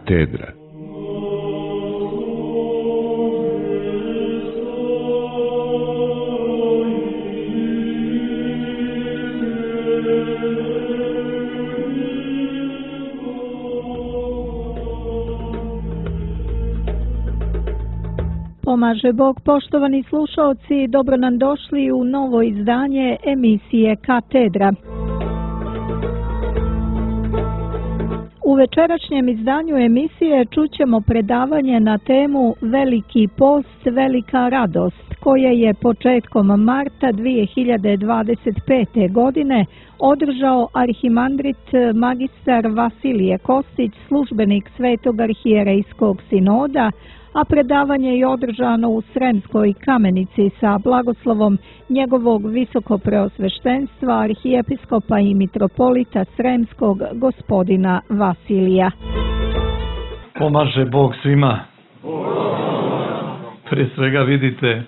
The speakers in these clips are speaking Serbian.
Katedra. Pomaže Bog, poštovani slušaoci, dobro nam došli u novo izdanje emisije Katedra. U večerašnjem izdanju emisije čućemo predavanje na temu Veliki post, velika radost, koje je početkom marta 2025. godine održao arhimandrit magistar Vasilije Kostić, službenik Svetog arhijerejskog sinoda, a predavanje je održano u Sremskoj Kamenici sa blagoslovom njegovog visokopreosveštenstva arhijepiskopa i mitropolita Sremskog gospodina Vasilija. Pomaže Bog svima. Pre svega vidite,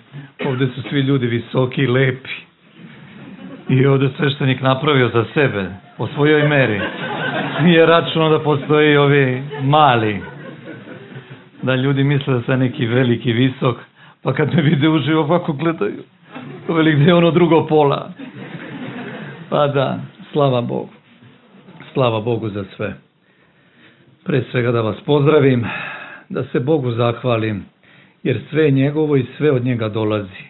ovdje su svi ljudi visoki i lepi. I ovdje sveštenik napravio za sebe, po svojoj meri. Nije računao da postoji ovi mali. Da ljudi misle da sam neki veliki, visok, pa kad me vide uživo ovako gledaju. Veli, gdje je ono drugo pola? Pa da, slava Bogu. Slava Bogu za sve. Pre svega da vas pozdravim, da se Bogu zahvalim, jer sve je njegovo i sve od njega dolazi.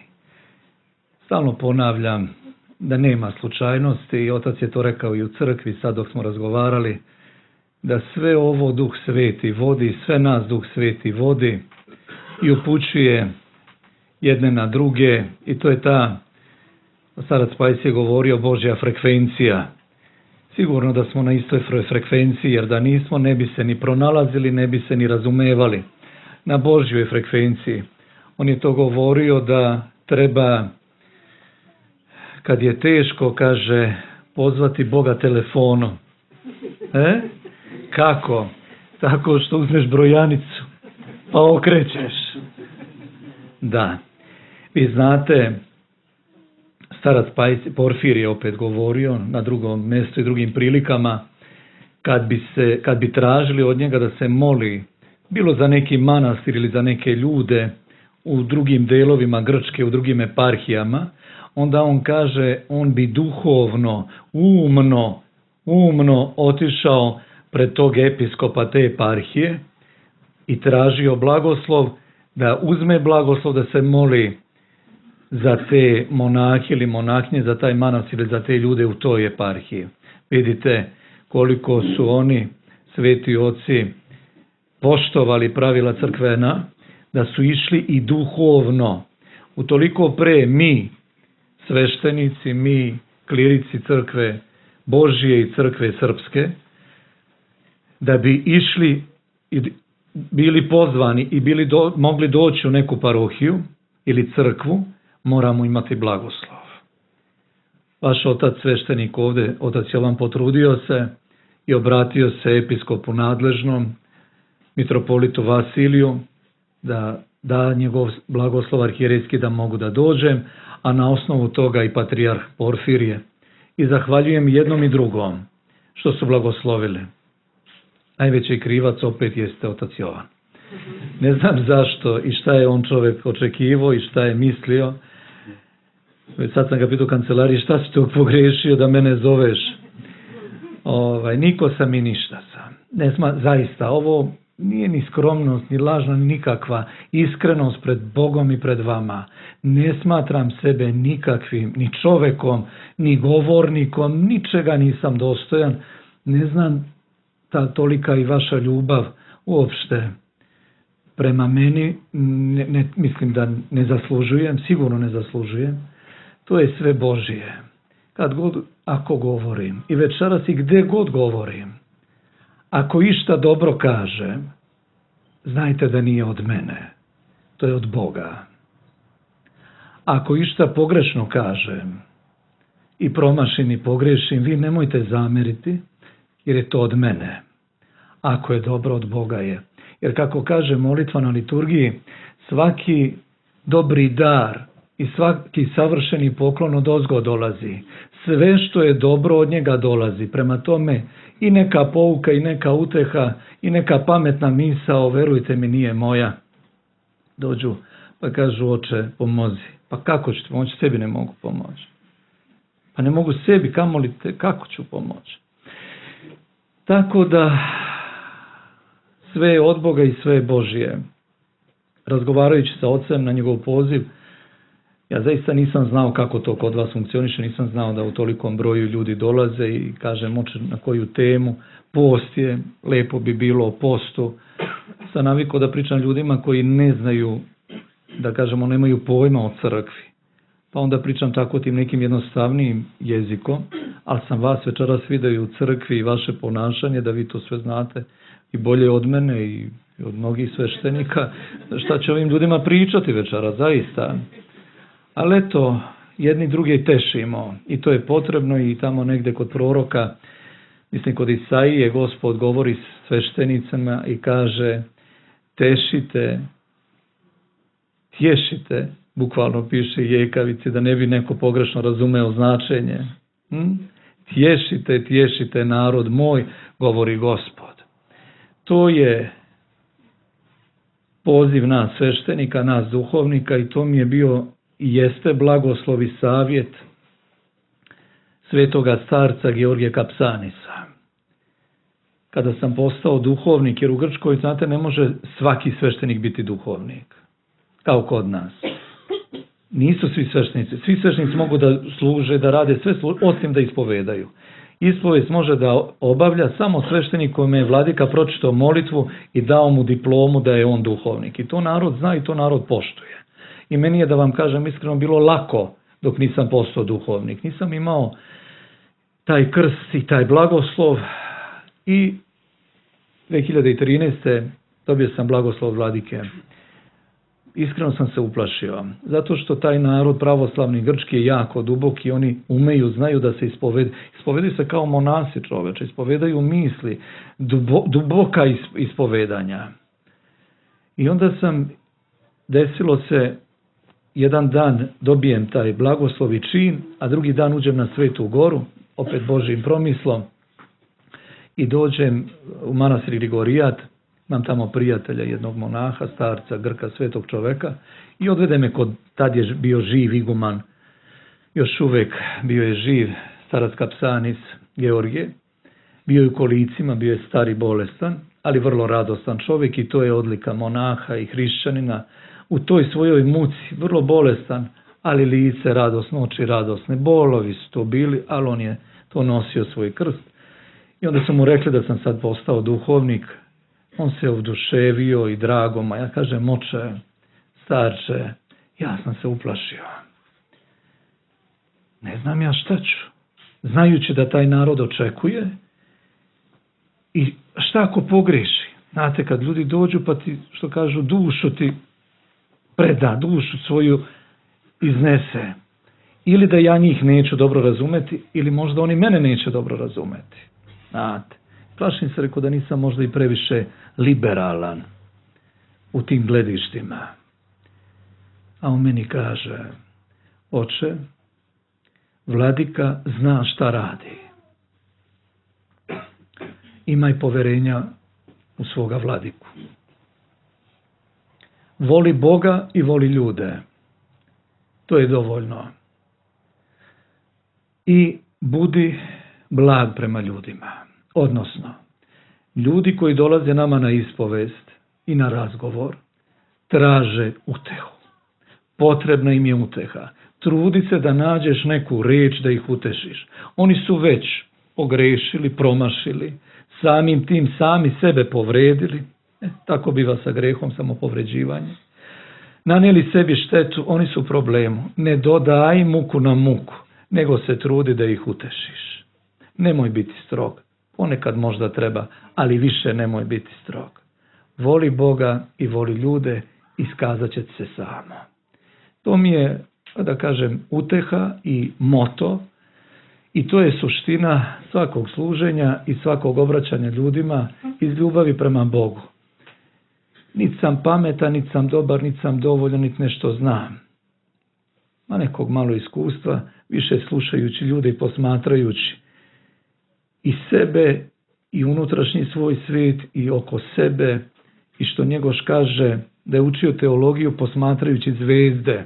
Stalno ponavljam da nema slučajnosti i otac je to rekao i u crkvi sad dok smo razgovarali, da sve ovo Duh Sveti vodi, sve nas Duh Sveti vodi i upućuje jedne na druge i to je ta, starac Pajs je govorio, Božja frekvencija. Sigurno da smo na istoj frekvenciji, jer da nismo ne bi se ni pronalazili, ne bi se ni razumevali na Božjoj frekvenciji. On je to govorio da treba, kad je teško, kaže, pozvati Boga telefonom. Kako? Tako što uzmeš brojanicu, pa okrećeš. Da. Vi znate, starac Porfir je opet govorio na drugom mjestu i drugim prilikama, kad bi tražili od njega da se moli, bilo za neki manastir ili za neke ljude u drugim delovima Grčke, u drugim eparhijama, onda on kaže, on bi duhovno, umno otišao pred tog episkopa te eparhije i tražio blagoslov, da uzme blagoslov da se moli za te monahe ili monahnje, za taj manastir ili za te ljude u toj eparhiji. Vidite koliko su oni, sveti oci, poštovali pravila crkvena, da su išli i duhovno. Utoliko pre mi, sveštenici, mi, klirici crkve Božje i crkve srpske, da bi išli i bili pozvani i mogli doći u neku parohiju ili crkvu, moramo imati blagoslov. Vaš otac sveštenik ovdje, otac Jovan, potrudio se i obratio se episkopu nadležnom, mitropolitu Vasiliju, da njegov blagoslov arhijerejski da mogu da dođem, a na osnovu toga i patrijarh Porfirije. I zahvaljujem jednom i drugom što su blagoslovili. Najveći krivac opet jeste otac Jovan. Ne znam zašto i šta je on čovjek očekivao i šta je mislio. Sad sam ga pitao u kancelariji, šta si to pogrešio da mene zoveš? Niko sam i ništa sam. Zaista, ovo nije ni skromnost, ni lažna, ni nikakva iskrenost pred Bogom i pred vama. Ne smatram sebe nikakvim, ni čovekom, ni govornikom, ničega nisam dostojan. Ne znam tolika i vaša ljubav uopšte prema meni, mislim da ne zaslužujem, sigurno ne zaslužujem. To je sve Božje. Ako govorim, i večeras i gde god govorim, ako išta dobro kažem, znajte da nije od mene, to je od Boga. Ako išta pogrešno kažem i promašim i pogrešim, vi nemojte zameriti, jer je to od mene. Ako je dobro, od Boga je. Jer kako kaže molitva na liturgiji, svaki dobri dar i svaki savršeni poklon odozgo dolazi. Sve što je dobro od njega dolazi. Prema tome i neka pouka i neka uteha i neka pametna misao, verujte mi, nije moja. Dođu pa kažu: oče, pomozi. Pa kako ću ti pomoći? Sebi ne mogu pomoći. Pa ne mogu sebi, kamoli te, kako ću pomoći? Tako da sve je od Boga i sve je Božje. Razgovarajući sa ocem na njegov poziv, ja zaista nisam znao kako to kod vas funkcioniše, nisam znao da u tolikom broju ljudi dolaze i kažem oče na koju temu. Post je, lepo bi bilo o postu. Sam navikao da pričam ljudima koji ne znaju, da kažemo nemaju pojma o crkvi. Pa onda pričam tako tim nekim jednostavnijim jezikom, ali sam vas večeras vidio i u crkvi i vaše ponašanje, da vi to sve znate i bolje od mene i od mnogih sveštenika. Šta će ovim ljudima pričati večeras, zaista. Ali eto, jedni drugi tešimo i to je potrebno i tamo negde kod proroka, mislim kod Isaije, Gospod govori sveštenicama i kaže: tešite, tješite, bukvalno piše jekavici, da ne bi neko pogrešno razumeo značenje. Tješite, tješite narod moj, govori Gospod. To je poziv nas sveštenika, nas duhovnika i to mi je bio i jeste blagoslov i savjet svetoga starca Georgija Kapsanisa. Kada sam postao duhovnik, jer u Grčkoj, znate, ne može svaki sveštenik biti duhovnik, kao kod nas. Nisu svi sveštenici. Svi sveštenici mogu da služe, da rade sve, osim da ispovedaju. Ispovest može da obavlja samo sveštenik kome je vladika pročitao molitvu i dao mu diplomu da je on duhovnik. I to narod zna i to narod poštuje. I meni je, da vam kažem iskreno, bilo lako dok nisam postao duhovnik. Nisam imao taj krst i taj blagoslov i 2013. dobio sam blagoslov vladike. Iskreno sam se uplašio, zato što taj narod pravoslavni grčki je jako duboki, oni umeju, znaju da se ispovedaju se kao monasi, čoveče, ispovedaju misli, duboka ispovedanja. I onda desilo se, jedan dan dobijem taj blagoslov i čin, a drugi dan uđem na Svetu Goru, opet Božjim promislom, i dođem u manastir Grigorijat. Imam tamo prijatelja, jednog monaha, starca, Grka, svetog čoveka, i odvede me kod, tad je bio živ iguman, još uvek bio je živ starac Kapsanis Georgije, bio je u kolicima, bio je star i bolestan, ali vrlo radostan čovjek i to je odlika monaha i hrišćanina. U toj svojoj muci, vrlo bolestan, ali lice radosno, oči radosne, bolovi su to bili, ali on je to nosio svoj krst. I onda su mu rekli da sam sad postao duhovnik. On se oduševio i drago, a ja kažem: oče, starče, ja sam se uplašio. Ne znam ja šta ću. Znajući da taj narod očekuje i šta ako pogreši. Znate, kad ljudi dođu pa ti, što kažu, dušu ti preda, dušu svoju iznese. Ili da ja njih neću dobro razumeti, ili možda oni mene neće dobro razumeti. Znate, plašim se, rekao, da nisam možda i previše liberalan u tim gledištima. A on meni kaže: oče, vladika zna šta radi. Imaj poverenja u svoga vladiku. Voli Boga i voli ljude. To je dovoljno. I budi blag prema ljudima. Odnosno, ljudi koji dolaze nama na ispovest i na razgovor traže utehu. Potrebna im je uteha. Trudi se da nađeš neku reč da ih utešiš. Oni su već pogrešili, promašili, samim tim sami sebe povredili. Tako biva sa grehom, samopovređivanje. Nanijeli sebi štetu, oni su u problemu. Ne dodaj muku na muku, nego se trudi da ih utešiš. Nemoj biti strog. Ponekad možda treba, ali više nemoj biti strog. Voli Boga i voli ljude, iskazat će se samo. To mi je, da kažem, uteha i moto, i to je suština svakog služenja i svakog obraćanja ljudima iz ljubavi prema Bogu. Niti sam pametan, niti sam dobar, niti sam dovoljan, niti nešto znam. nekog malo iskustva, više slušajući ljude i posmatrajući i sebe i unutrašnji svoj svijet i oko sebe, i što Njegoš kaže da je učio teologiju posmatrajući zvezde.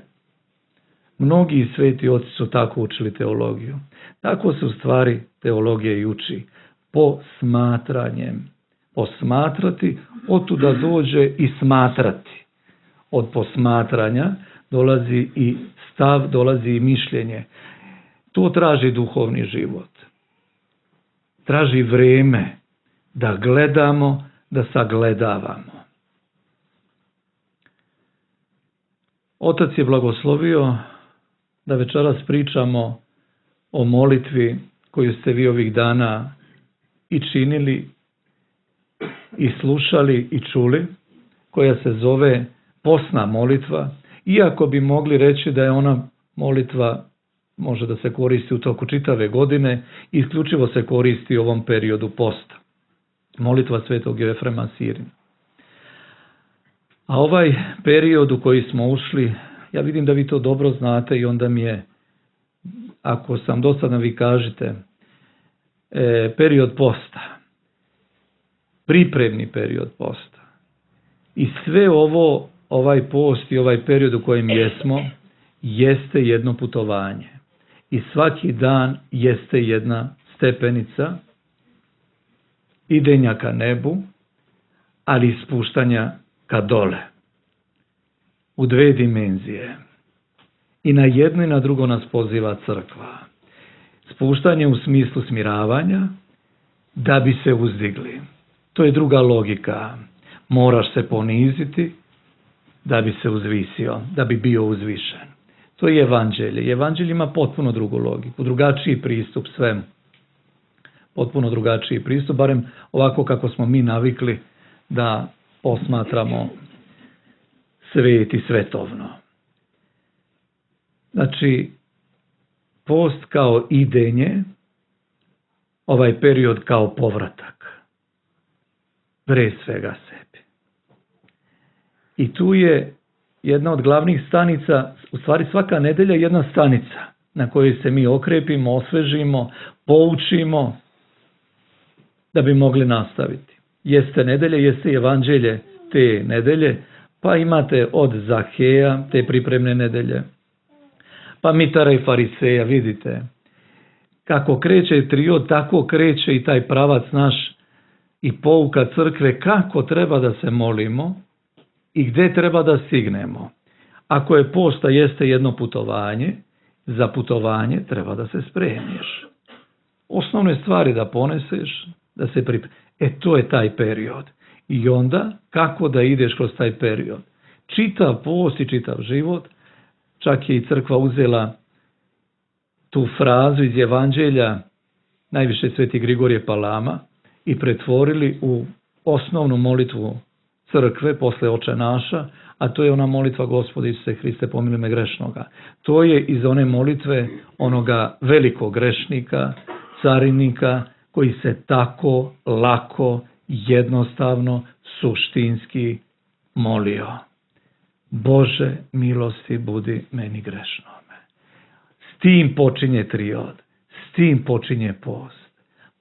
Mnogi sveti oci su tako učili teologiju. Tako se u stvari teologija i uči. Posmatranjem. Posmatrati, otuda dođe i smatrati. Od posmatranja dolazi i stav, dolazi i mišljenje. To traži duhovni život. Traži vreme da gledamo, da sagledavamo. Otac je blagoslovio da večeras pričamo o molitvi koju ste vi ovih dana i činili i slušali i čuli, koja se zove postna molitva, iako bi mogli reći da je ona molitva može da se koristi u toku čitave godine, isključivo se koristi u ovom periodu posta. Molitva svetog Jefrema Sirina. A ovaj period u koji smo ušli, ja vidim da vi to dobro znate i onda mi je, ako sam dosadan, vi kažete, period posta. Pripremni period posta. I sve ovo, ovaj post i ovaj period u kojem jesmo, jeste jedno putovanje. I svaki dan jeste jedna stepenica idenja ka nebu, ali spuštanja ka dole. U dve dimenzije. I na jedno i na drugo nas poziva crkva. Spuštanje u smislu smiravanja, da bi se uzdigli. To je druga logika. Moraš se poniziti da bi se uzvisio, da bi bio uzvišen. To je evanđelje. Evanđelje ima potpuno drugu logiku, drugačiji pristup svemu. Potpuno drugačiji pristup, barem ovako kako smo mi navikli da posmatramo svet i svetovno. Znači, post kao idenje, ovaj period kao povratak. Pre svega sebi. I tu je jedna od glavnih stanica, u stvari svaka nedelja je jedna stanica na kojoj se mi okrepimo, osvežimo, poučimo da bi mogli nastaviti. Jeste nedelje, jeste evanđelje te nedelje, pa imate od Zaheja te pripremne nedelje, pa Mitara i Fariseja, vidite. Kako kreće trio, tako kreće i taj pravac naš i pouka crkve kako treba da se molimo i gde treba da stignemo. Ako je posta jeste jedno putovanje, za putovanje treba da se spremiš. Osnovne stvari da poneseš, da se pripremiš. To je taj period. I onda kako da ideš kroz taj period. Čitav post i čitav život, čak je i crkva uzela tu frazu iz evanđelja, najviše sveti Grigorije Palama, i pretvorili u osnovnu molitvu crkve posle Oče naša, a to je ona molitva Gospodi Isuse Hriste, pomiluj me grešnoga. To je iz one molitve onoga velikog grešnika, carinika, koji se tako lako, jednostavno, suštinski molio. Bože, milosti budi meni grešnome. S tim počinje triod, s tim počinje post.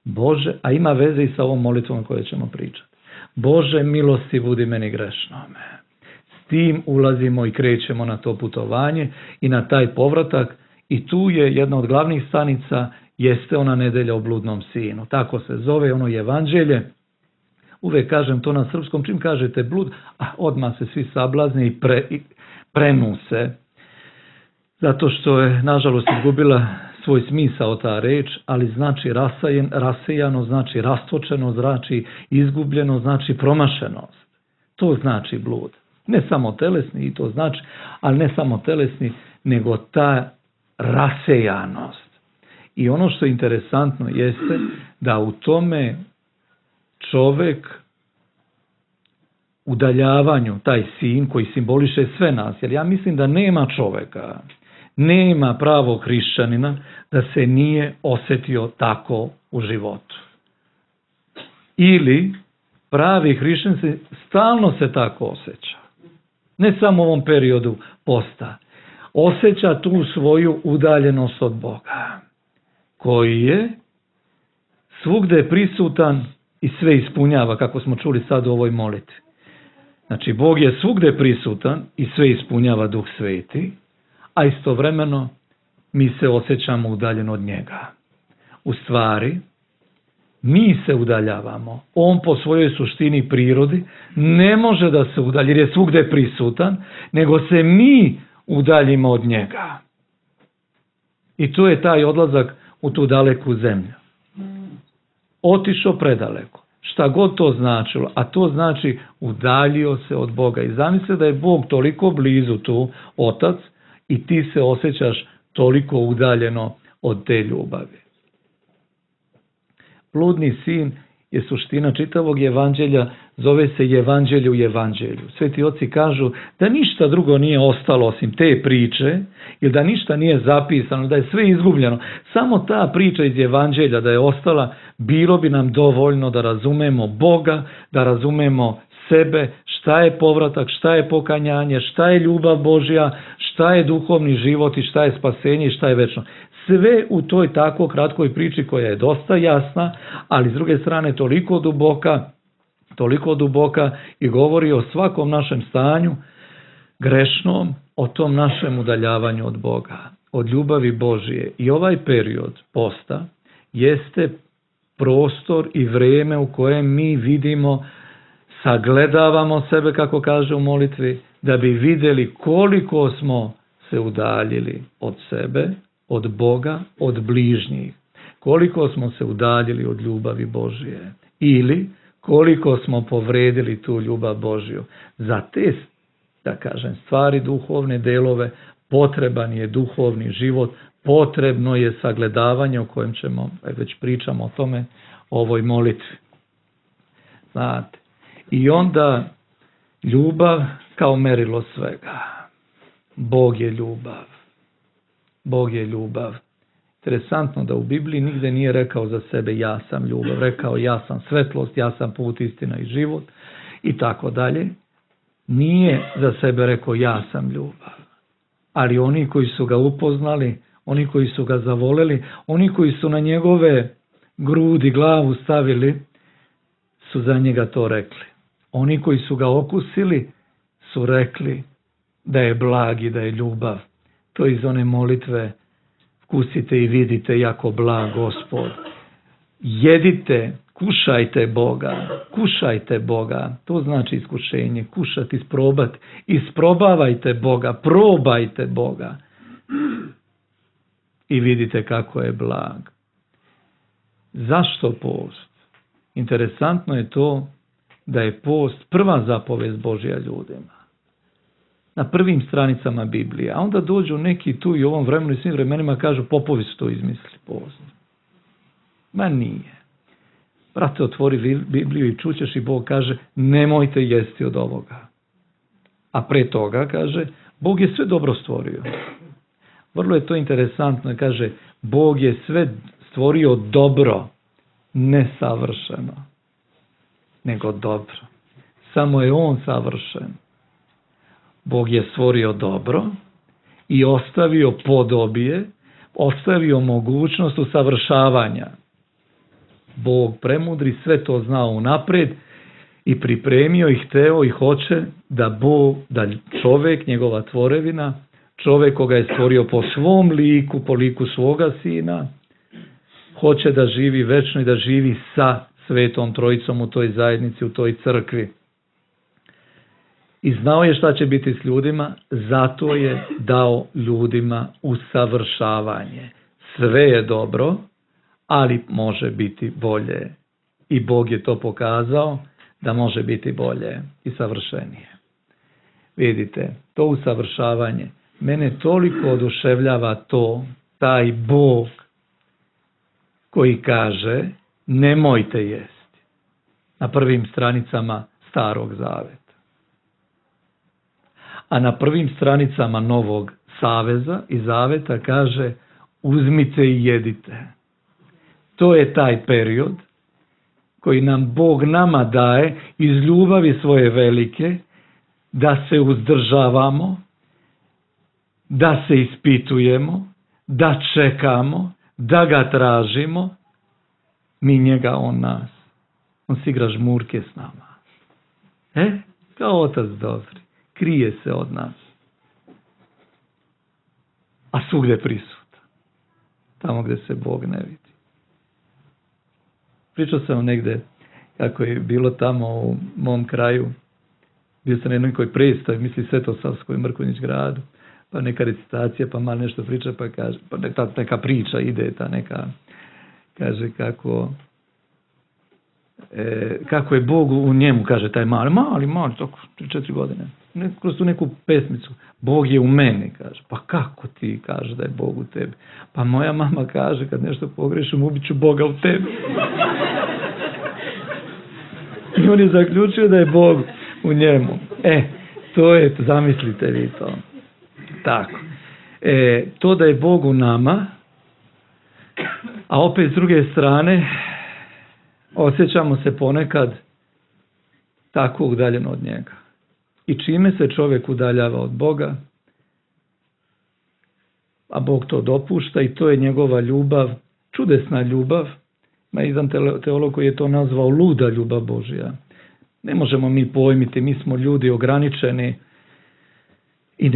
Bože, a ima veze i sa ovom molitvom o kojoj ćemo pričati. Bože, milosti budi meni grešnome. S tim ulazimo i krećemo na to putovanje i na taj povratak, i tu je jedna od glavnih stanica, jeste ona nedelja o bludnom sinu. Tako se zove ono evanđelje. Uvek kažem to na srpskom, čim kažete blud, odmah se svi sablazne i prenu se. Zato što je, nažalost, izgubila svoj smisao ta reč, ali znači rasejano, znači rastočeno, znači izgubljeno, znači promašenost. To znači blud. Ne samo telesni, i to znači, ali ne samo telesni, nego ta rasejanost. I ono što je interesantno jeste da u tome čovek udaljavanju, taj sin koji simboliše sve nas, jer ja mislim da nema čoveka, nema pravog hrišćanina da se nije osetio tako u životu. Ili pravi hrišćanin stalno se tako osjeća. Ne samo u ovom periodu posta. osjeća tu svoju udaljenost od Boga, koji je svugde prisutan i sve ispunjava, kako smo čuli sad u ovoj molitvi. Znači, Bog je svugde prisutan i sve ispunjava Duh Sveti, a istovremeno mi se osjećamo udaljeno od njega. U stvari, mi se udaljavamo. On po svojoj suštini prirodi ne može da se udalji, jer je svugde prisutan, nego se mi udaljimo od njega. I to je taj odlazak u tu daleku zemlju. Otišao predaleko. Šta god to značilo, a to znači udaljio se od Boga. I zamisli da je Bog toliko blizu tu, Otac, i ti se osjećaš toliko udaljeno od te ljubavi. Bludni sin je suština čitavog evanđelja, zove se evanđelje u evanđelju. Sveti oci kažu da ništa drugo nije ostalo osim te priče, ili da ništa nije zapisano, da je sve izgubljeno. Samo ta priča iz evanđelja da je ostala, bilo bi nam dovoljno da razumemo Boga, da razumemo sebe, šta je povratak, šta je pokajanje, šta je ljubav Božja, šta je duhovni život i šta je spasenje i šta je večno. Sve u toj tako kratkoj priči koja je dosta jasna, ali s druge strane toliko duboka i govori o svakom našem stanju grešnom, o tom našem udaljavanju od Boga, od ljubavi Božije. I ovaj period posta jeste prostor i vrijeme u kojem mi vidimo, sagledavamo sebe, kako kaže u molitvi, da bi vidjeli koliko smo se udaljili od sebe, od Boga, od bližnjih. Koliko smo se udaljili od ljubavi Božije. Ili koliko smo povredili tu ljubav Božju. Za te, da kažem, stvari, duhovne delove, potreban je duhovni život, potrebno je sagledavanje o kojem ćemo, već pričamo o tome, o ovoj molitvi. Znate, i onda ljubav kao merilo svega. Bog je ljubav. Bog je ljubav. Interesantno da u Bibliji nigde nije rekao za sebe ja sam ljubav, rekao ja sam svetlost, ja sam put, istina i život i tako dalje. Nije za sebe rekao ja sam ljubav. Ali oni koji su ga upoznali, oni koji su ga zavoleli, oni koji su na njegove grudi, glavu stavili, su za njega to rekli. Oni koji su ga okusili su rekli da je blag i da je ljubav. To iz one molitve vkusite i vidite jako blag Gospod. Jedite, kušajte Boga. To znači iskušenje, kušati, isprobati. Isprobavajte Boga, probajte Boga. I vidite kako je blag. Zašto post? Interesantno je to da je post prva zapovest Božja ljudima. Na prvim stranicama Biblije. A onda dođu neki tu i u ovom vremenu i svim vremenima kažu popovi su to izmislili post. Ma nije. Brate, otvori Bibliju i čućeš i Bog kaže nemojte jesti od ovoga. A pre toga kaže Bog je sve dobro stvorio. Vrlo je to interesantno. Kaže Bog je sve stvorio dobro, ne savršeno, nego dobro. Samo je On savršen. Bog je stvorio dobro i ostavio podobije, ostavio mogućnost usavršavanja. Bog premudri sve to znao unapred i pripremio i hteo i hoće da čovjek, njegova tvorevina, čovjek koga je stvorio po svom liku, po liku svoga sina, hoće da živi večno i da živi sa Svetom Trojicom u toj zajednici, u toj crkvi. I znao je šta će biti s ljudima, zato je dao ljudima usavršavanje. Sve je dobro, ali može biti bolje. I Bog je to pokazao da može biti bolje i savršenije. Vidite, to usavršavanje, mene toliko oduševljava taj Bog koji kaže nemojte jesti. Na prvim stranicama Starog Zaveta. A na prvim stranicama Novog Saveza i Zaveta kaže uzmite i jedite. To je taj period koji nam Bog nama daje iz ljubavi svoje velike da se uzdržavamo da se ispitujemo, da čekamo, da ga tražimo, mi njega, on nas. On si igra žmurke s nama. Kao otac dobri. Krije se od nas. A svugdje prisutan. Tamo gdje se Bog ne vidi. Pričao sam negdje kako je bilo tamo u mom kraju. Bio sam na jednoj predstavi, misli Svetosavskoj Mrkonjić gradu. Pa neka recitacija, pa malo nešto priča, pa kaže, pa neka priča ide, ta neka, kaže kako je Bog u njemu, kaže taj mali, tako 3-4 godine. Kroz tu neku pesmicu. Bog je u meni, kaže. Pa kako ti kaže da je Bog u tebi? Pa moja mama kaže, kad nešto pogrešim, ubit ću Boga u tebi. I on je zaključio da je Bog u njemu. To je, zamislite vi to. Tako. To da je Bog u nama, a opet s druge strane, osjećamo se ponekad tako udaljeno od njega. I čime se čovjek udaljava od Boga, a Bog to dopušta i to je njegova ljubav, čudesna ljubav. Ima jedan teolog koji je to nazvao luda ljubav Božja. Ne možemo mi pojmiti, mi smo ljudi ograničeni i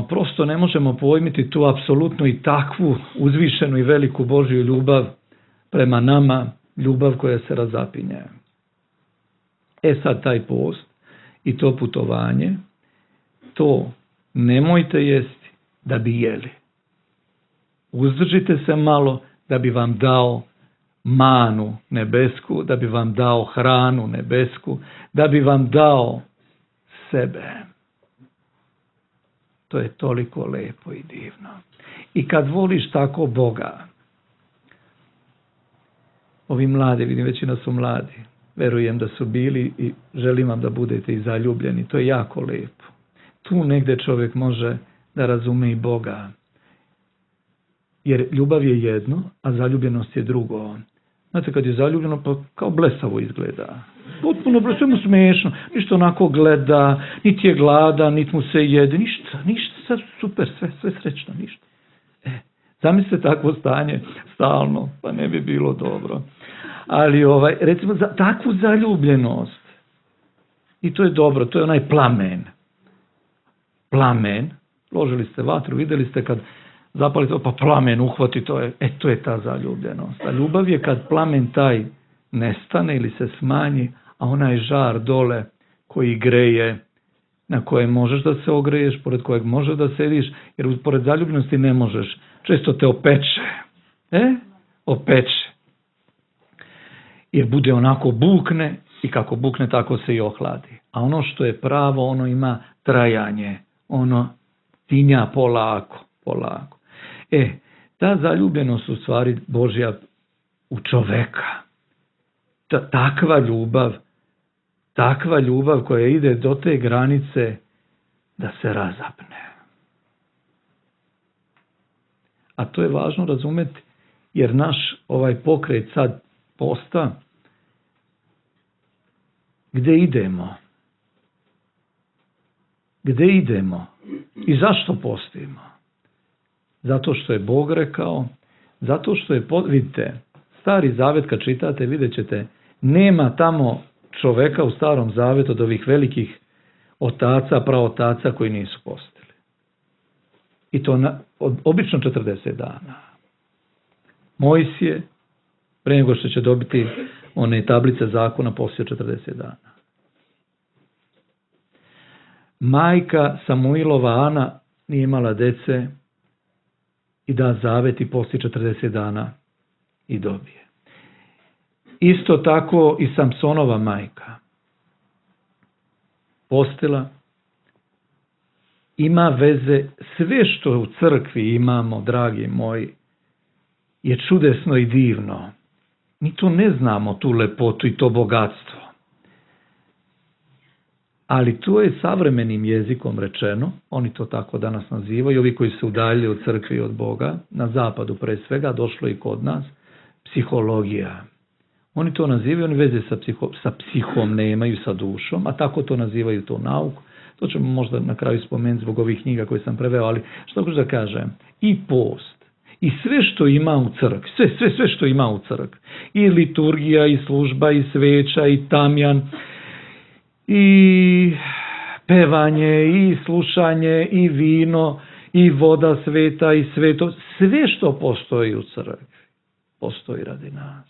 prosto ne možemo pojmiti tu apsolutnu i takvu uzvišenu i veliku Božju ljubav prema nama, ljubav koja se razapinje. Sad taj post i to putovanje, to nemojte jesti da bi jeli. Uzdržite se malo da bi vam dao manu nebesku, da bi vam dao hranu nebesku, da bi vam dao sebe. To je toliko lepo i divno. I kad voliš tako Boga, ovi mladi, vidim većina su mladi, verujem da su bili i želim vam da budete i zaljubljeni, to je jako lepo. Tu negdje čovjek može da razume i Boga. Jer ljubav je jedno, a zaljubljenost je drugo. Znate, kad je zaljubljeno, pa kao blesavo izgleda. Potpuno blesavo, sve mu smiješno. Ništa onako gleda, niti je gladan, niti mu se jede, ništa, sad super, sve srećno, ništa. Zamislite takvo stanje stalno, pa ne bi bilo dobro. Ali recimo za takvu zaljubljenost, i to je dobro, to je onaj plamen. Plamen, ložili ste vatru, vidjeli ste kad zapalite, pa plamen uhvati, to je ta zaljubljenost. A ljubav je kad plamen taj nestane ili se smanji, a onaj žar dole koji greje, na kojem možeš da se ogreješ, pored kojeg možeš da sediš, jer pored zaljubljenosti ne možeš. Često te opeče. Opeče. Jer bude onako bukne i kako bukne tako se i ohladi. A ono što je pravo, ono ima trajanje. Ono tinja polako. Ta zaljubljenost u stvari Božja u čoveka. Takva ljubav koja ide do te granice da se razapne. A to je važno razumjeti, jer naš ovaj pokret sad posta, gdje idemo? I zašto postimo? Zato što je Bog rekao, zato što je, vidite, Stari Zavet kad čitate, vidjet ćete, nema tamo čoveka u Starom Zavetu od ovih velikih otaca, praotaca koji nisu postili. I to obično 40 dana. Mojsije, pre nego što će dobiti one tablice zakona, postio 40 dana. Majka Samuilova Ana nije imala dece i da zavet i posti 40 dana i dobije. Isto tako i Samsonova majka. Postila, ima veze, sve što u crkvi imamo, dragi moji, je čudesno i divno. Mi to ne znamo, tu lepotu i to bogatstvo. Ali to je savremenim jezikom rečeno, oni to tako danas nazivaju, ovi koji se udaljili od crkve i od Boga, na zapadu pre svega, došlo i kod nas, psihologija. Oni to nazivaju, oni veze sa psihom nemaju, sa dušom, a tako to nazivaju to nauku. To ćemo možda na kraju spomenuti zbog ovih knjiga koje sam preveo, ali što hoću da kažem, i post, i sve što ima u crkvi, sve što ima u crkvi, i liturgija, i služba, i sveća, i tamjan, i pevanje, i slušanje, i vino, i voda sveta, i sveto, sve što postoji u crkvi, postoji radi nas.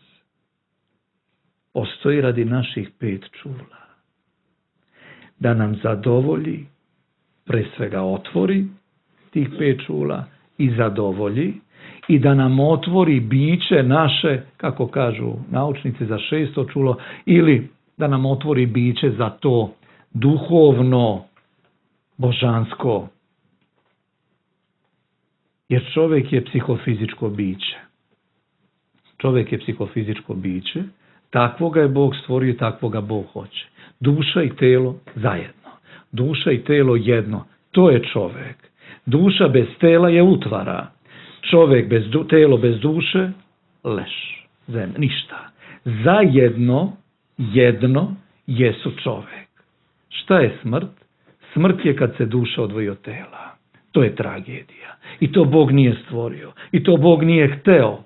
Postoji radi naših 5 čula. Da nam zadovolji, pre svega otvori tih 5 čula i zadovolji, i da nam otvori biće naše, kako kažu naučnici, za 6. čulo, ili da nam otvori biće za to duhovno, božansko. Jer čovjek je psihofizičko biće. Čovjek je psihofizičko biće, takvoga je Bog stvorio i takvoga Bog hoće. Duša i telo zajedno. Duša i telo jedno. To je čovjek. Duša bez tela je utvara. Čovjek bez telo bez duše, leš. Ništa. Zajedno, jedno, jesu čovjek. Šta je smrt? Smrt je kad se duša odvoji od tela. To je tragedija. I to Bog nije stvorio. I to Bog nije hteo.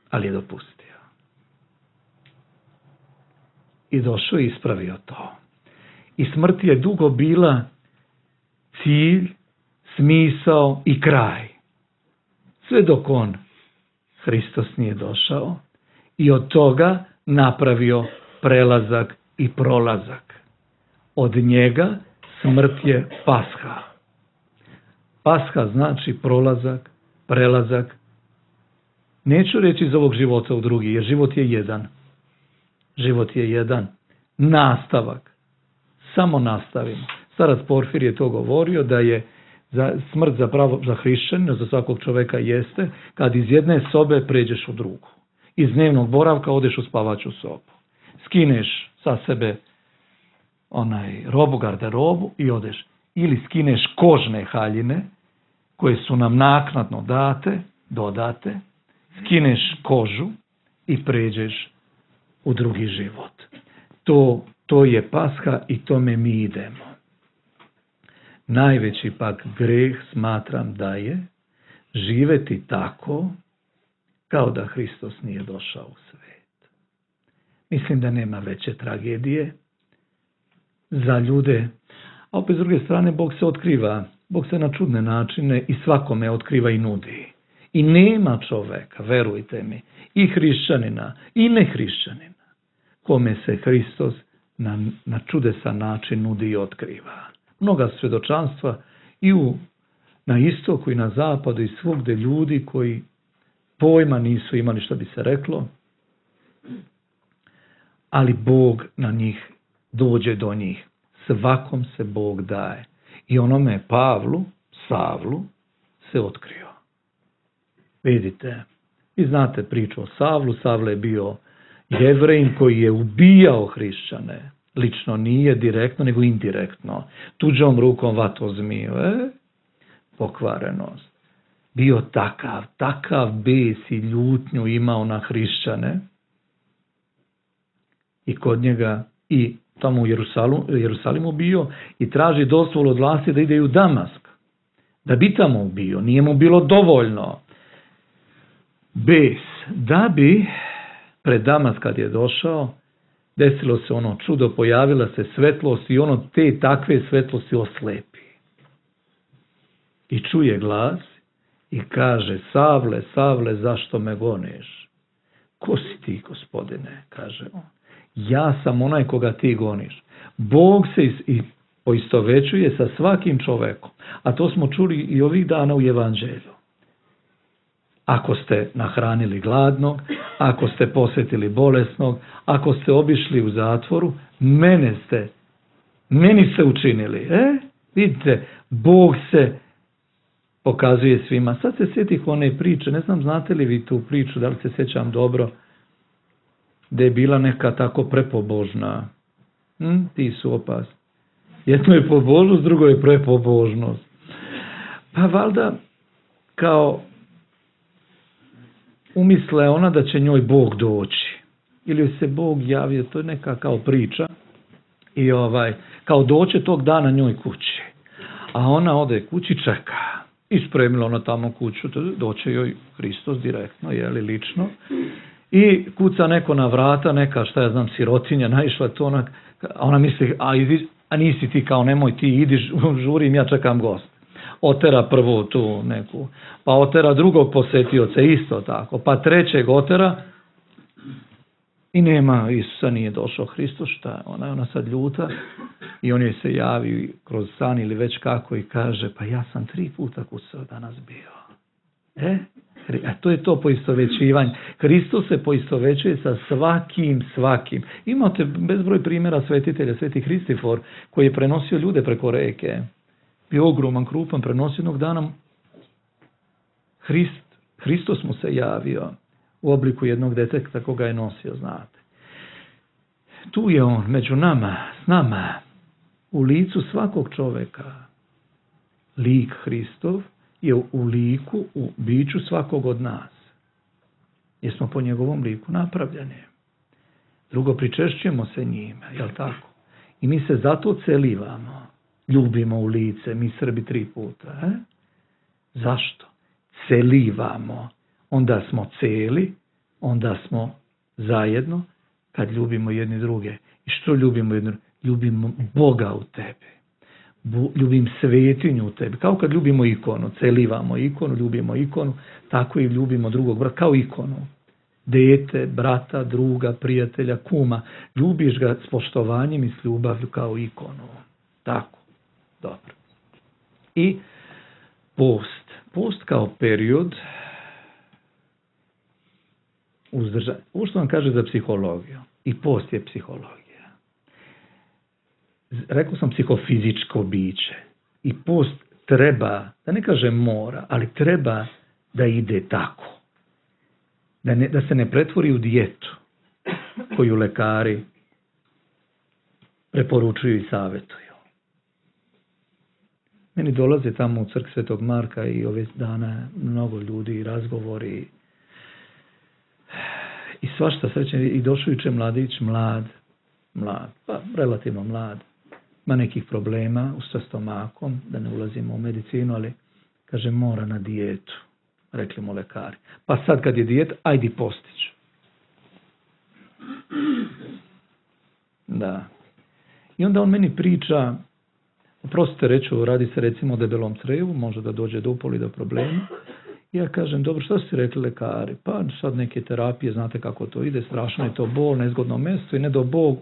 Ali je dopustio. I došao i ispravio to. I smrt je dugo bila cilj, smisao i kraj. Sve dok on, Hristos, nije došao i od toga napravio prelazak i prolazak. Od njega smrt je pasha. Pasha znači prolazak, prelazak. Neću reći iz ovog života u drugi, jer život je jedan. Život je jedan. Nastavak. Samo nastavimo. Starac Porfir je to govorio, da je smrt za hrišćanina, za svakog čoveka jeste, kad iz jedne sobe pređeš u drugu. Iz dnevnog boravka odeš u spavaću sobu. Skineš sa sebe robu, garderobu i odeš. Ili skineš kožne haljine, koje su nam naknadno dodate, skineš kožu i pređeš u drugi život. To je pasha i tome mi idemo. Najveći pak greh smatram da je živeti tako kao da Hristos nije došao u svet. Mislim da nema veće tragedije za ljude, a opet s druge strane Bog se otkriva, Bog se na čudne načine i svakome otkriva i nudi. I nema čoveka, verujte mi, i hrišćanina i nehrišćanina, kome se Hristos na čudesan način nudi i otkriva. Mnoga svjedočanstva i na istoku i na zapadu i svugde ljudi koji pojma nisu imali što bi se reklo, ali Bog na njih dođe do njih. Svakom se Bog daje. I onome Savlu se otkrio. Vidite, vi znate priču o Savlu. Savle je bio Jevrejin koji je ubijao hrišćane. Lično nije direktno, nego indirektno. Tuđom rukom vato zmiju. Pokvarenost. Bio takav bes i ljutnju imao na hrišćane. I kod njega, i tamo u Jerusalimu bio, i traži dozvolu od vlasti da ide u Damask. Da bi tamo ubio. Nije mu bilo dovoljno. Bes. Da bi pred Damask kad je došao, desilo se ono čudo, pojavila se svetlost i ono te takve svetlosti oslepi. I čuje glas i kaže: Savle, Savle, zašto me goniš? Ko si ti, Gospodine? Kaže on. Ja sam onaj koga ti goniš. Bog se poistovećuje sa svakim čovekom. A to smo čuli i ovih dana u Evanđelju. Ako ste nahranili gladnog, ako ste posjetili bolesnog, ako ste obišli u zatvoru, meni ste učinili. Vidite, Bog se pokazuje svima. Sad se sjetih one priče, ne znam znate li vi tu priču, da li se sjećam dobro, da je bila neka tako prepobožna. Ti su opasni. Jedno je pobožnost, drugo je prepobožnost. Pa valjda kao umisle ona da će njoj Bog doći. Ili se Bog javio, to je neka kao priča. I kao doće tog dana njoj kući. A ona ode kući, čeka. Ispremila ona tamo kuću, doće joj Hristos direktno, lično. I kuca neko na vrata, neka, šta ja znam, sirotinja, naišla to, ona misli, a nisi ti, kao nemoj ti, idi, žurim, ja čekam gost. Otera prvo tu neku, pa otera drugog posetioca, isto tako, pa trećeg otera i nema, Isusa nije došao. Hristos, šta? Ona sad ljuta i on joj se javi kroz san ili već kako i kaže, pa ja sam 3 puta kucao danas bio. A to je to poistovećivanje. Hristos se poistovećuje sa svakim. Imate bezbroj primjera svetitelja, Sveti Hristifor, koji je prenosio ljude preko reke. Bio ogroman, krupan, prenosio jednog dana. Hristos mu se javio u obliku jednog deteta koga je nosio, znate. Tu je on, među nama, s nama, u licu svakog čoveka. Lik Hristov je u liku, u biću svakog od nas. Jer smo po njegovom liku napravljeni. Drugo, pričešćujemo se njime, jel tako? I mi se zato celivamo. Ljubimo u lice, mi Srbi 3 puta. Zašto? Celivamo. Onda smo celi, onda smo zajedno, kad ljubimo jedni druge. I što ljubimo jedni druge? Ljubimo Boga u tebi. Ljubim svetinju u tebi. Kao kad ljubimo ikonu, celivamo ikonu, ljubimo ikonu, tako i ljubimo drugog brata, kao ikonu. Dete, brata, druga, prijatelja, kuma. Ljubiš ga s poštovanjem i s ljubavlju kao ikonu. Tako. Dobro. I post. Post kao period uzdržanja. Ovo što vam kaže za psihologiju. I post je psihologija. Rekao sam psihofizičko biće. I post treba, da ne kažem mora, ali treba da ide tako. Da se ne pretvori u dijetu koju lekari preporučuju i savjetuju. Meni dolaze tamo u crkvu Svetog Marka i ove dana mnogo ljudi, razgovori i svašta srećan. I došao juče mladić, mlad, pa relativno mlad, ima nekih problema sa stomakom, da ne ulazimo u medicinu, ali kaže mora na dijetu, rekli mu lekari. Pa sad kad je dijeta, ajdi postić. Da. I onda on meni priča, oprostite reću, radi se recimo o debelom crevu, može da dođe do upoli, do problema. Ja kažem, dobro, što ste rekli lekari? Pa sad neke terapije, znate kako to ide, strašno je to bol, nezgodno mjesto i ne do Bog,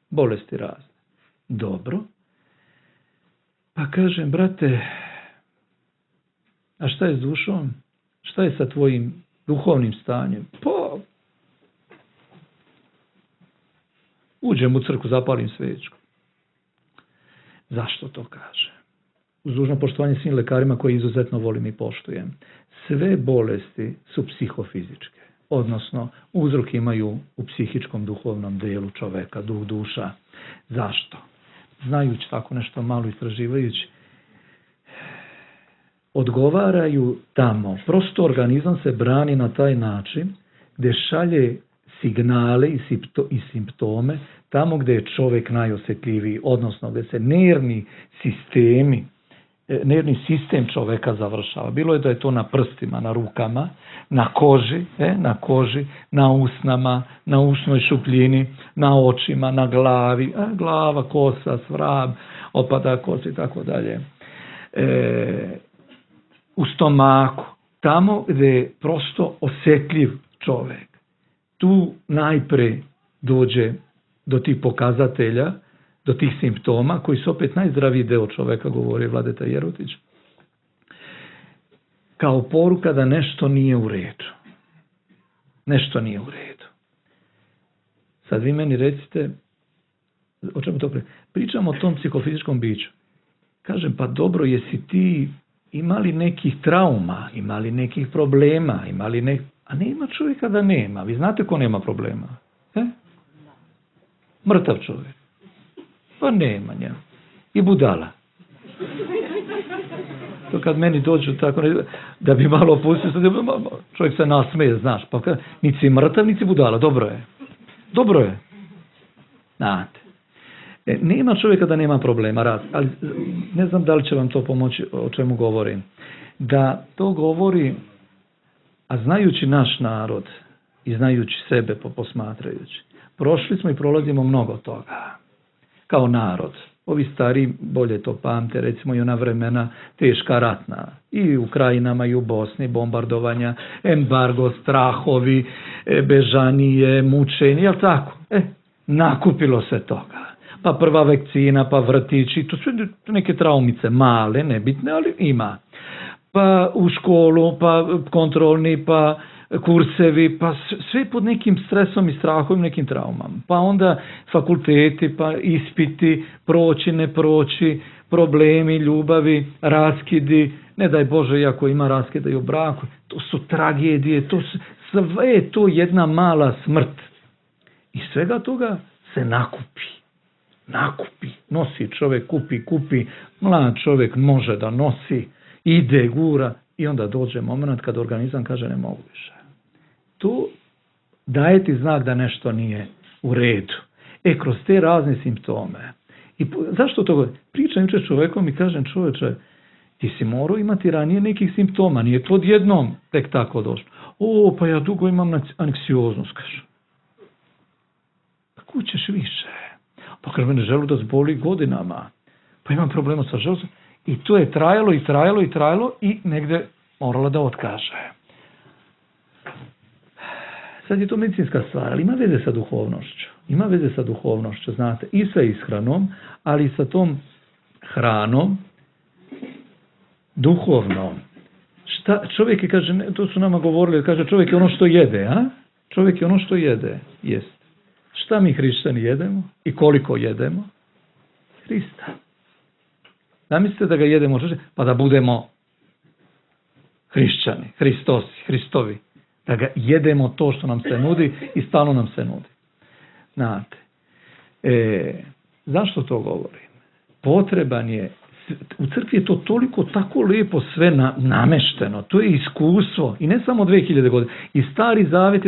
bolesti razne. Dobro. Pa kažem, brate, a šta je s dušom? Šta je sa tvojim duhovnim stanjem? Pa, uđem u crkvu, zapalim svećku. Zašto to kaže? Uz dužno poštovanje svim lekarima koje izuzetno volim i poštujem. Sve bolesti su psihofizičke, odnosno uzrok imaju u psihičkom duhovnom delu čoveka, duh, duša. Zašto? Znajući tako nešto malo, istraživajući, odgovaraju tamo. Prosto organizam se brani na taj način gdje šalje signale i simptome tamo gdje je čovjek najosjetljiviji, odnosno gdje se nervni sistem čovjeka završava. Bilo je da je to na prstima, na rukama, na koži, na usnama, na ušnoj šupljini, na očima, na glavi, glava, kosa, svrab, opada kosa i tako dalje. U stomaku, tamo gdje je prosto osjetljiv čovjek. Tu najpre dođe do tih pokazatelja, do tih simptoma, koji su opet najzdraviji deo čoveka, govori Vladeta Jerotić, kao poruka da nešto nije u redu. Nešto nije u redu. Sad vi meni recite, o čemu to pričamo o tom psihofizičkom biću. Kažem, pa dobro, jesi ti imali nekih trauma, imali nekih problema, a nema čovjeka da nema. Vi znate ko nema problema? Mrtav čovjek. Pa nema njega. I budala. To kad meni dođu tako, da bi malo pustio, čovjek se nasmeje, znaš. Pa niti si mrtav, niti si budala. Dobro je. Znate. Nema čovjeka da nema problema, ali ne znam da li će vam to pomoći o čemu govorim. Da to govori, a znajući naš narod i znajući sebe posmatrajući, prošli smo i prolazimo mnogo toga kao narod. Ovi stari bolje to pamte, recimo i ona vremena teška ratna, i u krajinama i u Bosni, bombardovanja, embargo, strahovi, bežanije, mučenje, jel tako? Nakupilo se toga. Pa prva vakcina, pa vrtići, to su neke traumice, male, nebitne, ali ima. Pa u školu, pa kontrolni, pa kursevi, pa sve pod nekim stresom i strahom, nekim traumama. Pa onda fakulteti, pa ispiti, proći, ne proći, problemi, ljubavi, raskidi, ne daj Bože, iako ima raskida i u braku, to su tragedije, sve je to jedna mala smrt. I svega toga se nakupi, nosi čovjek, kupi, mlad čovjek može da nosi, ide, gura i onda dođe moment kad organizam kaže ne mogu više. Tu daje ti znak da nešto nije u redu. Kroz te razne simptome. I zašto to govorim? Pričam jučer čovjekom i kažem čovječe, ti si morao imati ranije nekih simptoma, nije to odjednom tek tako došlo. Pa ja dugo imam anksioznost, kaže. Pa kud ćeš više? Pa kaže mene želudac boli godinama. Pa imam problema sa želudacom. I to je trajalo i negdje morala da otkaže. Sad je to medicinska stvar, ali ima veze sa duhovnošću. Znate, i sa ishranom, ali i sa tom hranom duhovnom. Čovjek je, kaže, to su nama govorili, kaže čovjek je ono što jede, a? Čovjek je ono što jede, jest. Šta mi hrišćani jedemo i koliko jedemo? Hrista. Zamislite da ga jedemo, pa da budemo hrišćani, Hristovi. Da ga jedemo to što nam se nudi i stalno nam se nudi. Znate, zašto to govorim? Potreban je, u crkvi je to toliko tako lijepo sve namešteno, to je iskustvo i ne samo 2000 godina, i Stari Zavet,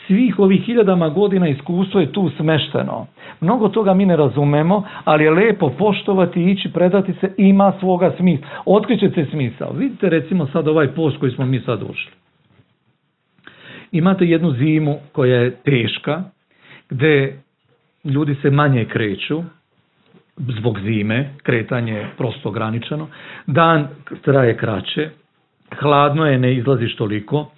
svih ovih 1000 godina iskustvo je tu smešteno. Mnogo toga mi ne razumemo, ali je lijepo poštovati, ići, predati se, ima svoga smisla. Otkriće se smisao. Vidite recimo sad ovaj post koji smo mi sad ušli. Imate jednu zimu koja je teška, gdje ljudi se manje kreću, zbog zime, kretanje je prosto ograničeno, dan traje kraće, hladno je, ne izlaziš toliko,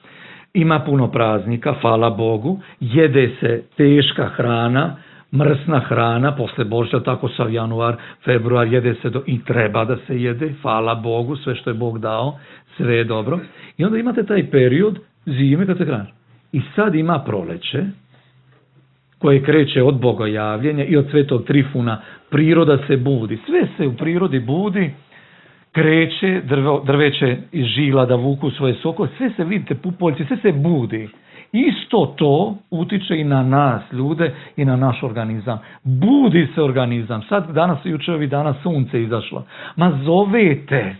ima puno praznika, hvala Bogu, jede se teška hrana, mrsna hrana, posle Božića, tako sav januar, februar, jede se i treba da se jede, hvala Bogu, sve što je Bog dao, sve je dobro. I onda imate taj period zime kad se hrani. I sad ima proleće, koje kreće od bogojavljenja i od Svetog Trifuna, priroda se budi. Sve se u prirodi budi, kreće, drveće iz žila da vuku svoje sokove, sve se, vidite, pupoljci, sve se budi. Isto to utiče i na nas, ljude, i na naš organizam. Budi se organizam. Sad, danas, jučer ovih dana sunce izašlo. Ma zovete,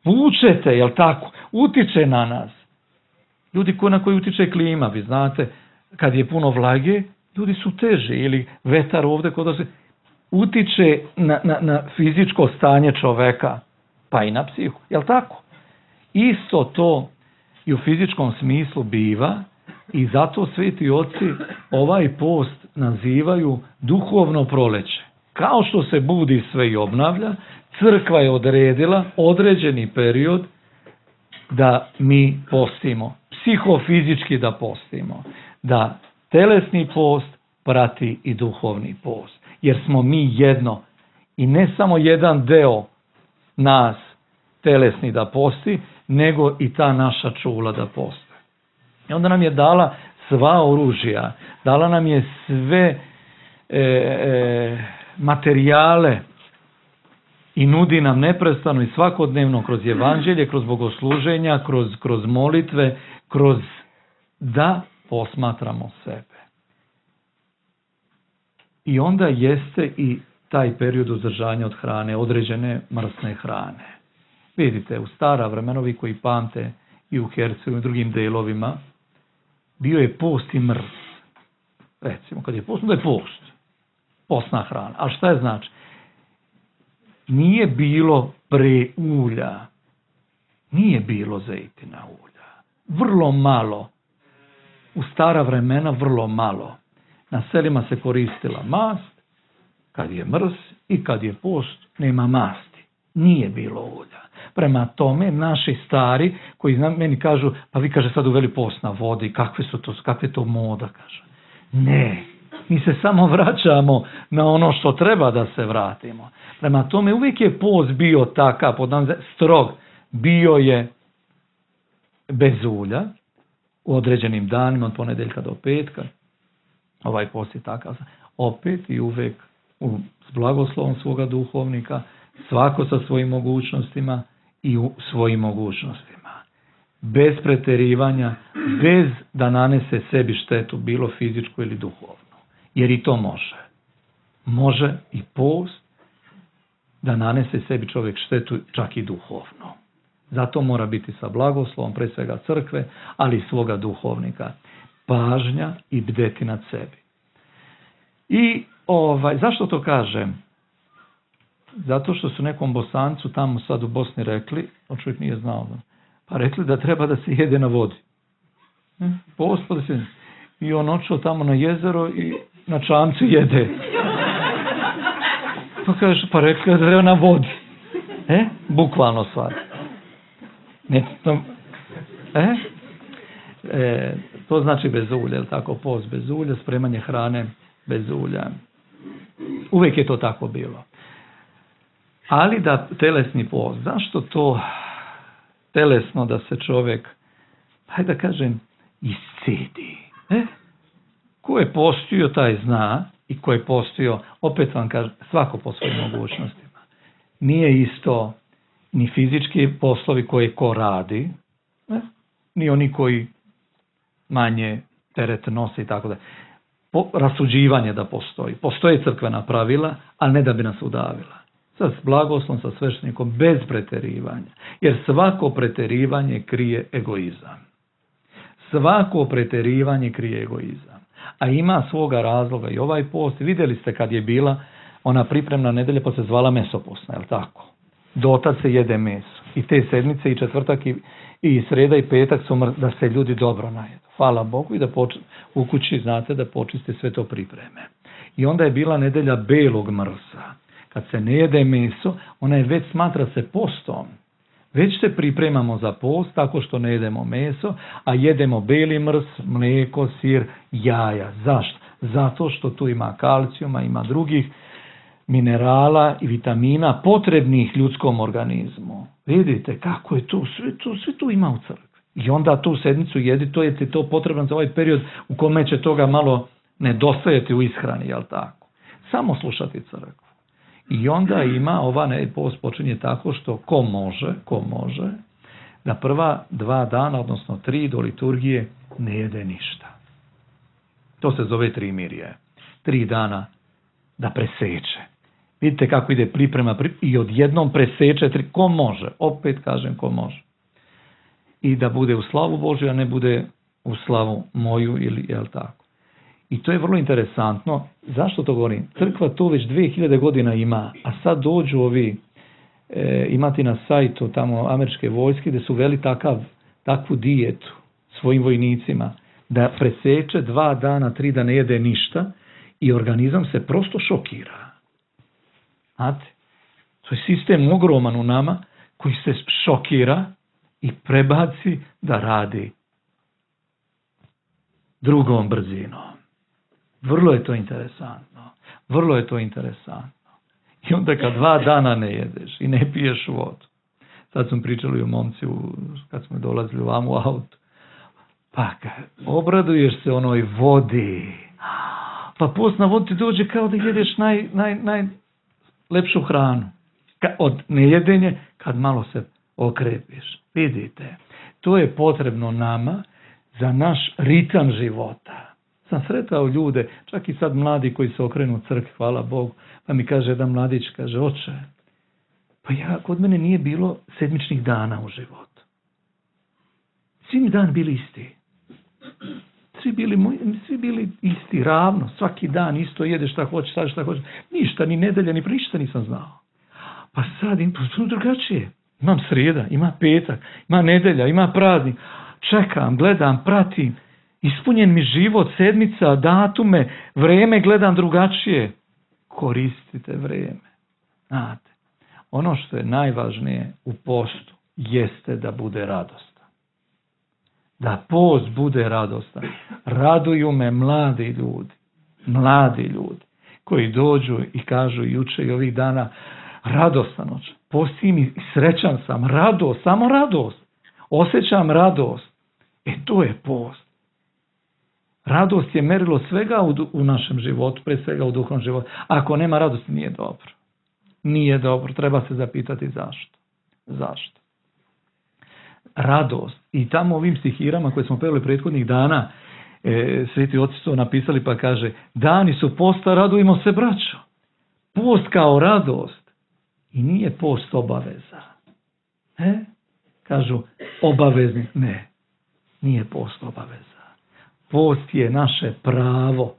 vučete, jel tako? Utiče na nas. Ljudi na koji utiče klima, vi znate, kad je puno vlage, ljudi su teži, ili vetar ovdje kod se utiče na fizičko stanje čoveka, pa i na psihu, jel tako? Isto to i u fizičkom smislu biva i zato sveti oci ovaj post nazivaju duhovno proleće. Kao što se budi sve i obnavlja, crkva je odredila određeni period da mi postimo, psihofizički da postimo, da telesni post prati i duhovni post. Jer smo mi jedno i ne samo jedan deo nas telesni da posti, nego i ta naša čula da posti. I onda nam je dala sva oružja, dala nam je sve materijale i nudi nam neprestano i svakodnevno kroz evanđelje, kroz bogosluženja, kroz molitve, kroz da posmatramo sebe. I onda jeste i taj period uzdržanja od hrane, određene mrsne hrane. Vidite, u stara vremena, ovi koji pamte i u Hercegovini i drugim delovima, bio je post i mrs. Recimo, kad je post, onda je post. postna hrana. A šta je znači? Nije bilo pre ulja. Nije bilo zejtina ulja. Vrlo malo. U stara vremena vrlo malo. Na selima se koristila mast, kad je mrs i kad je post, nema masti. Nije bilo ulja. Prema tome, naši stari, koji meni kažu, pa vi kaže sad uveli post na vodi, kakve je to moda, kaže. Ne, mi se samo vraćamo na ono što treba da se vratimo. Prema tome, uvijek je post bio takav, strog, bio je bez ulja, u određenim danima, od ponedeljka do petka, ovaj post je takav, opet i uvijek s blagoslovom svoga duhovnika, svako sa svojim mogućnostima i u svojim mogućnostima. Bez preterivanja, bez da nanese sebi štetu, bilo fizičku ili duhovnu. Jer i to može. Može i post da nanese sebi čovjek štetu, čak i duhovno. Zato mora biti sa blagoslovom, pre svega crkve, ali i svoga duhovnika. Pažnja i bdeti nad sebi. I zašto to kažem? Zato što su nekom Bosancu tamo sad u Bosni rekli, on čovjek nije znao, pa rekli da treba da se jede na vodi. I on očeo tamo na jezero i na čamcu jede. Pa kaže, pa rekli da treba na vodi. Bukvalno stvar. To znači bez ulja, tako, post bez ulja, spremanje hrane bez ulja. Uvijek je to tako bilo. Ali da telesni post, zašto to telesno da se čovjek, hajde da kažem, iscedi? Ko je postio, taj zna, i ko je postio, opet vam kažem, svako po svojim mogućnostima. Nije isto ni fizički poslovi koje ko radi, ni oni koji manje teret nose i tako da. Rasuđivanje da postoji. Postoje crkvena pravila, ali ne da bi nas udavila. Sa blagoslovom, sa sveštenikom, bez preterivanja. Jer svako preterivanje krije egoizam. Svako preterivanje krije egoizam. A ima svoga razloga i ovaj post. Vidjeli ste kad je bila ona pripremna nedelja, pa se zvala mesopostna, je li tako? Dotad se jede meso. I te sedmice i četvrtak i sreda i petak su da se ljudi dobro najedu. Hvala Bogu i da u kući znate da počiste sve to pripreme. I onda je bila nedelja belog mrsa. Kad se ne jede meso, ona je već smatra se postom. Već se pripremamo za post tako što ne jedemo meso, a jedemo beli mrs, mlijeko, sir, jaja. Zašto? Zato što tu ima kalcijuma, ima drugih minerala i vitamina potrebnih ljudskom organizmu. Vidite kako je to, sve tu ima u crkvi. I onda tu sedmicu jedi, to je ti to potrebno za ovaj period u kome će toga malo nedostajati u ishrani, jel tako? Samo slušati crkvu. I onda ima, post počinje tako što ko može, da prva 2 dana, odnosno 3 do liturgije ne jede ništa. To se zove trimirje. 3 dana da preseče. Vidite kako ide priprema i odjednom preseče, ko može, opet kažem ko može. I da bude u slavu Božju, a ne bude u slavu moju ili jel tako. I to je vrlo interesantno. Zašto to govorim? Crkva to već 2000 godina ima, a sad dođu ovi, imati na sajtu tamo američke vojske gdje su veli takvu dijetu svojim vojnicima, da preseče 2 dana, 3 da ne jede ništa i organizam se prosto šokira. Znate? To je sistem ogroman u nama koji se šokira i prebaci da radi drugom brzinom. Vrlo je to interesantno. I onda kad 2 dana ne jedeš i ne piješ vodu. Sad smo pričali o momci kad smo dolazili u autu. Pa obraduješ se onoj vodi. Pa post na vodu ti dođe kao da jedeš najlepšu hranu. Od nejedenje kad malo se okrepiš. Vidite, to je potrebno nama za naš ritam života. Sam sretao ljude, čak i sad mladi koji se okrenu crkvi, hvala Bogu, pa mi kaže jedan mladić, kaže, oče, pa kod mene nije bilo sedmičnih dana u životu. Svi mi dan bili isti. svi bili isti, ravno, svaki dan isto jede šta hoće, sad šta hoće. Ništa, ni nedelja, ni ništa nisam znao. Pa sad im drugačije. Imam srijeda, ima petak, ima nedelja, ima praznik. Čekam, gledam, pratim. Ispunjen mi život, sedmica, datume, vreme gledam drugačije. Koristite vreme. Znate, ono što je najvažnije u postu jeste da bude radostan. Da post bude radostan. Raduju me mladi ljudi koji dođu i kažu juče i ovih dana radostan oče. Postim i srećan sam, radost, samo radost. Osjećam radost. To je post. Radost je merilo svega u našem životu, pre svega u duhovnom životu. Ako nema radosti, nije dobro. Nije dobro, treba se zapitati zašto. Zašto? Radost. I tamo ovim stihirama koje smo pevali prethodnih dana, sveti oci su napisali pa kaže, dani su posta, radujemo se braćo. Post kao radost. I nije post obaveza. Kažu obavezni. Ne, nije post obaveza. Post je naše pravo.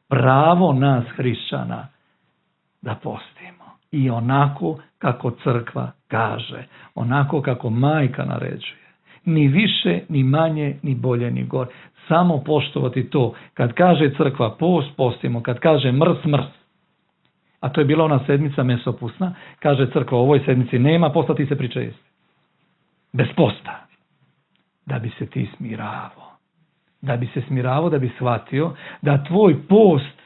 Pravo nas hrišćana da postimo. I onako kako crkva kaže. Onako kako majka naređuje. Ni više, ni manje, ni bolje, ni gore. Samo poštovati to. Kad kaže crkva post, postimo. Kad kaže mrs, mrs. A to je bila ona sedmica mesopusna. Kaže crkva u ovoj sedmici nema posta, ti se pričesti. Bez posta. Da bi se ti smiravo. Da bi se smiravo, da bi shvatio da tvoj post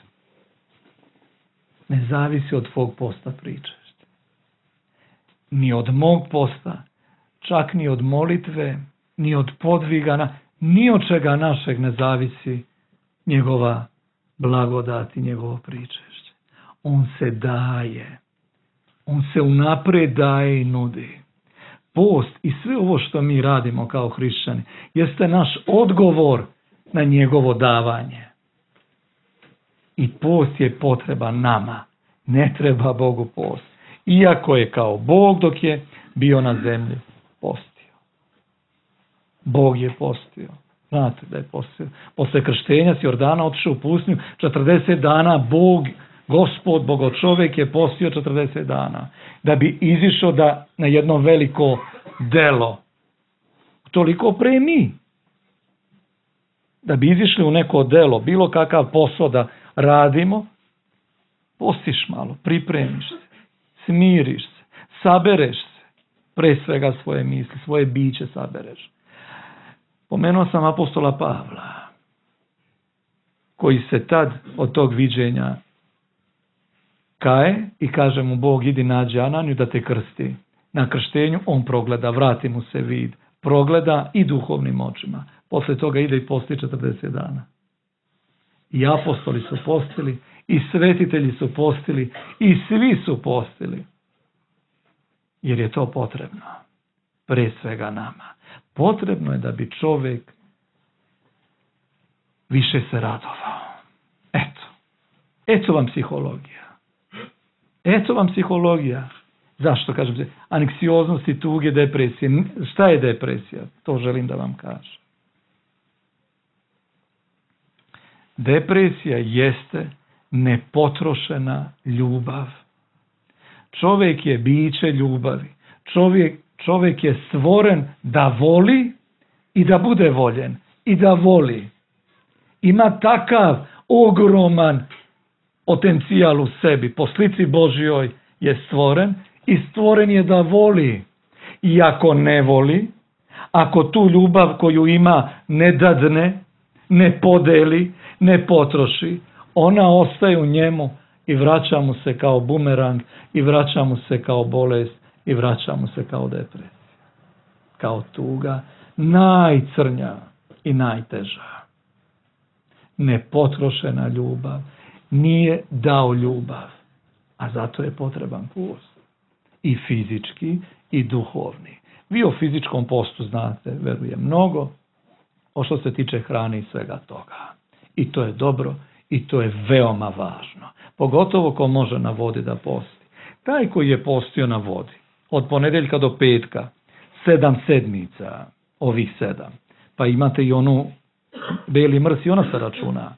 ne zavisi od tvog posta pričešća. Ni od mog posta, čak ni od molitve, ni od podvigana, ni od čega našeg ne zavisi njegova blagodat i njegovo pričešće. On se daje. On se unaprijed daje i nudi. Post i sve ovo što mi radimo kao hrišćani jeste naš odgovor na njegovo davanje. I post je potreba nama. Ne treba Bogu post. Iako je kao Bog dok je bio na zemlji postio. Bog je postio. Znate da je postio. Posle krštenja s Jordana otišao u pustinju 40 dana Bog, Gospod, Bogočovek je postio 40 dana. Da bi izišao na jedno veliko delo. Toliko pre mi. Da bi izišli u neko delo, bilo kakav posao da radimo, postiš malo, pripremiš se, smiriš se, sabereš se, pre svega svoje misli, svoje biće sabereš. Pomenuo sam apostola Pavla, koji se tad od tog viđenja kaje i kaže mu Bog idi nađi Ananiju da te krsti. Na krštenju on progleda, vrati mu se vid, progleda i duhovnim očima. Posle toga ide i posti 40 dana. I apostoli su postili, i svetitelji su postili, i svi su postili. Jer je to potrebno. Pre svega nama. Potrebno je da bi čovjek više se radovao. Eto vam psihologija. Eto vam psihologija. Zašto kažem se? Anksioznosti, tuge, depresije. Šta je depresija? To želim da vam kažem. Depresija jeste nepotrošena ljubav. Čovjek je biće ljubavi. Čovjek je stvoren da voli i da bude voljen. I da voli. Ima takav ogroman potencijal u sebi. Po slici Božjoj je stvoren i stvoren je da voli. I ako ne voli, ako tu ljubav koju ima ne dadne, ne podeli, ne potroši, ona ostaje u njemu i vraća mu se kao bumerang, i vraća mu se kao bolest, i vraća mu se kao depresija. Kao tuga, najcrnja i najteža. Nepotrošena ljubav nije dao ljubav, a zato je potreban post. I fizički i duhovni. Vi o fizičkom postu znate, verujem, mnogo, o što se tiče hrane i svega toga. I to je dobro i to je veoma važno. Pogotovo ko može na vodi da posti. Taj koji je postio na vodi, od ponedeljka do petka, 7 sedmica, ovih 7, pa imate i onu beli mrs i ona se računa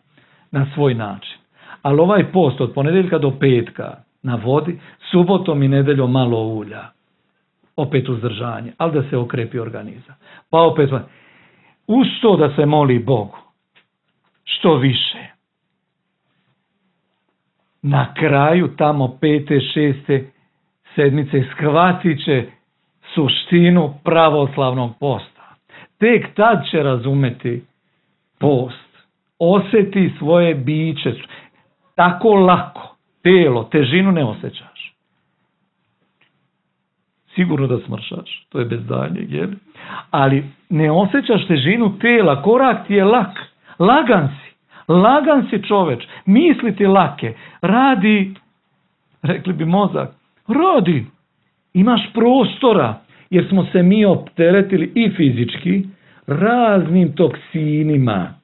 na svoj način. Ali ovaj post od ponedeljka do petka na vodi, subotom i nedeljom malo ulja. Opet uzdržanje, ali da se okrepi organizam. Pa opet, uz to da se moli Bogu, što više. Na kraju tamo 5., 6. sedmice shvatit će suštinu pravoslavnog posta. Tek tad će razumeti post. Osjeti svoje biće. Tako lako. Telo, težinu ne osjećaš. Sigurno da smršaš. To je bez daljnjeg, jel? Ali ne osjećaš težinu tela. Korak ti je lak. Lagan si. Lagan si čoveč. Misli ti lake. Radi, rekli bi mozak, radi. Imaš prostora. Jer smo se mi opteretili i fizički raznim toksinima.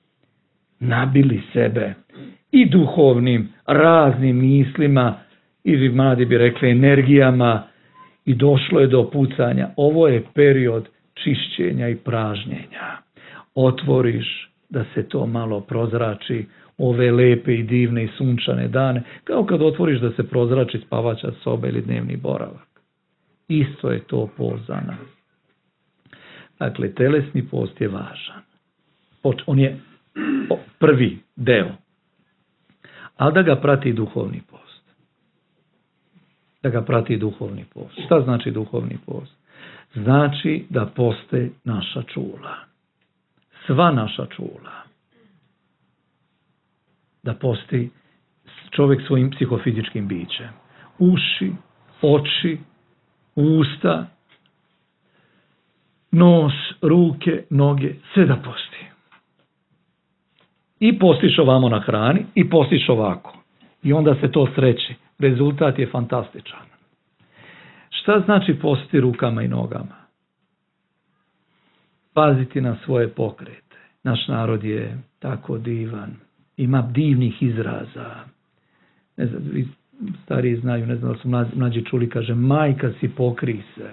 Nabili sebe. I duhovnim, raznim mislima, ili mladi bi rekli energijama, i došlo je do pucanja. Ovo je period čišćenja i pražnjenja. Otvoriš da se to malo prozrači, ove lepe i divne i sunčane dane, kao kad otvoriš da se prozrači spavača soba ili dnevni boravak. Isto je to post za nas. Dakle, telesni post je važan. On je prvi deo. Ali da ga prati duhovni post. Da ga prati duhovni post. Šta znači duhovni post? Znači da poste naša čula. Sva naša čula. Da posti čovjek svojim psihofizičkim bićem. Uši, oči, usta, nos, ruke, noge, sve da posti. I postiš ovamo na hrani i postiš ovako. I onda se to sreći. Rezultat je fantastičan. Šta znači postiti rukama i nogama? Paziti na svoje pokrete. Naš narod je tako divan. Ima divnih izraza. Ne znam, vi stariji znaju, ne znam da su mlađi čuli, kaže, majka si, pokri se.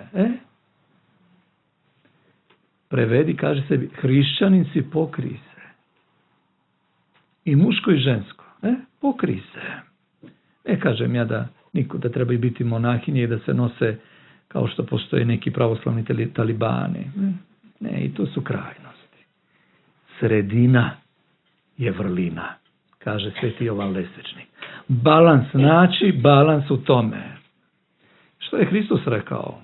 Prevedi, kaže sebi, hrišćanin si, pokri se. I muško i žensko. Pokri se. Ne kažem ja da treba biti monahinje i da se nose kao što postoje neki pravoslavni talibani. Ne, i to su krajnosti. Sredina je vrlina, kaže Sveti Jovan Lesečnik. Balans, naći balans u tome. Što je Hristos rekao?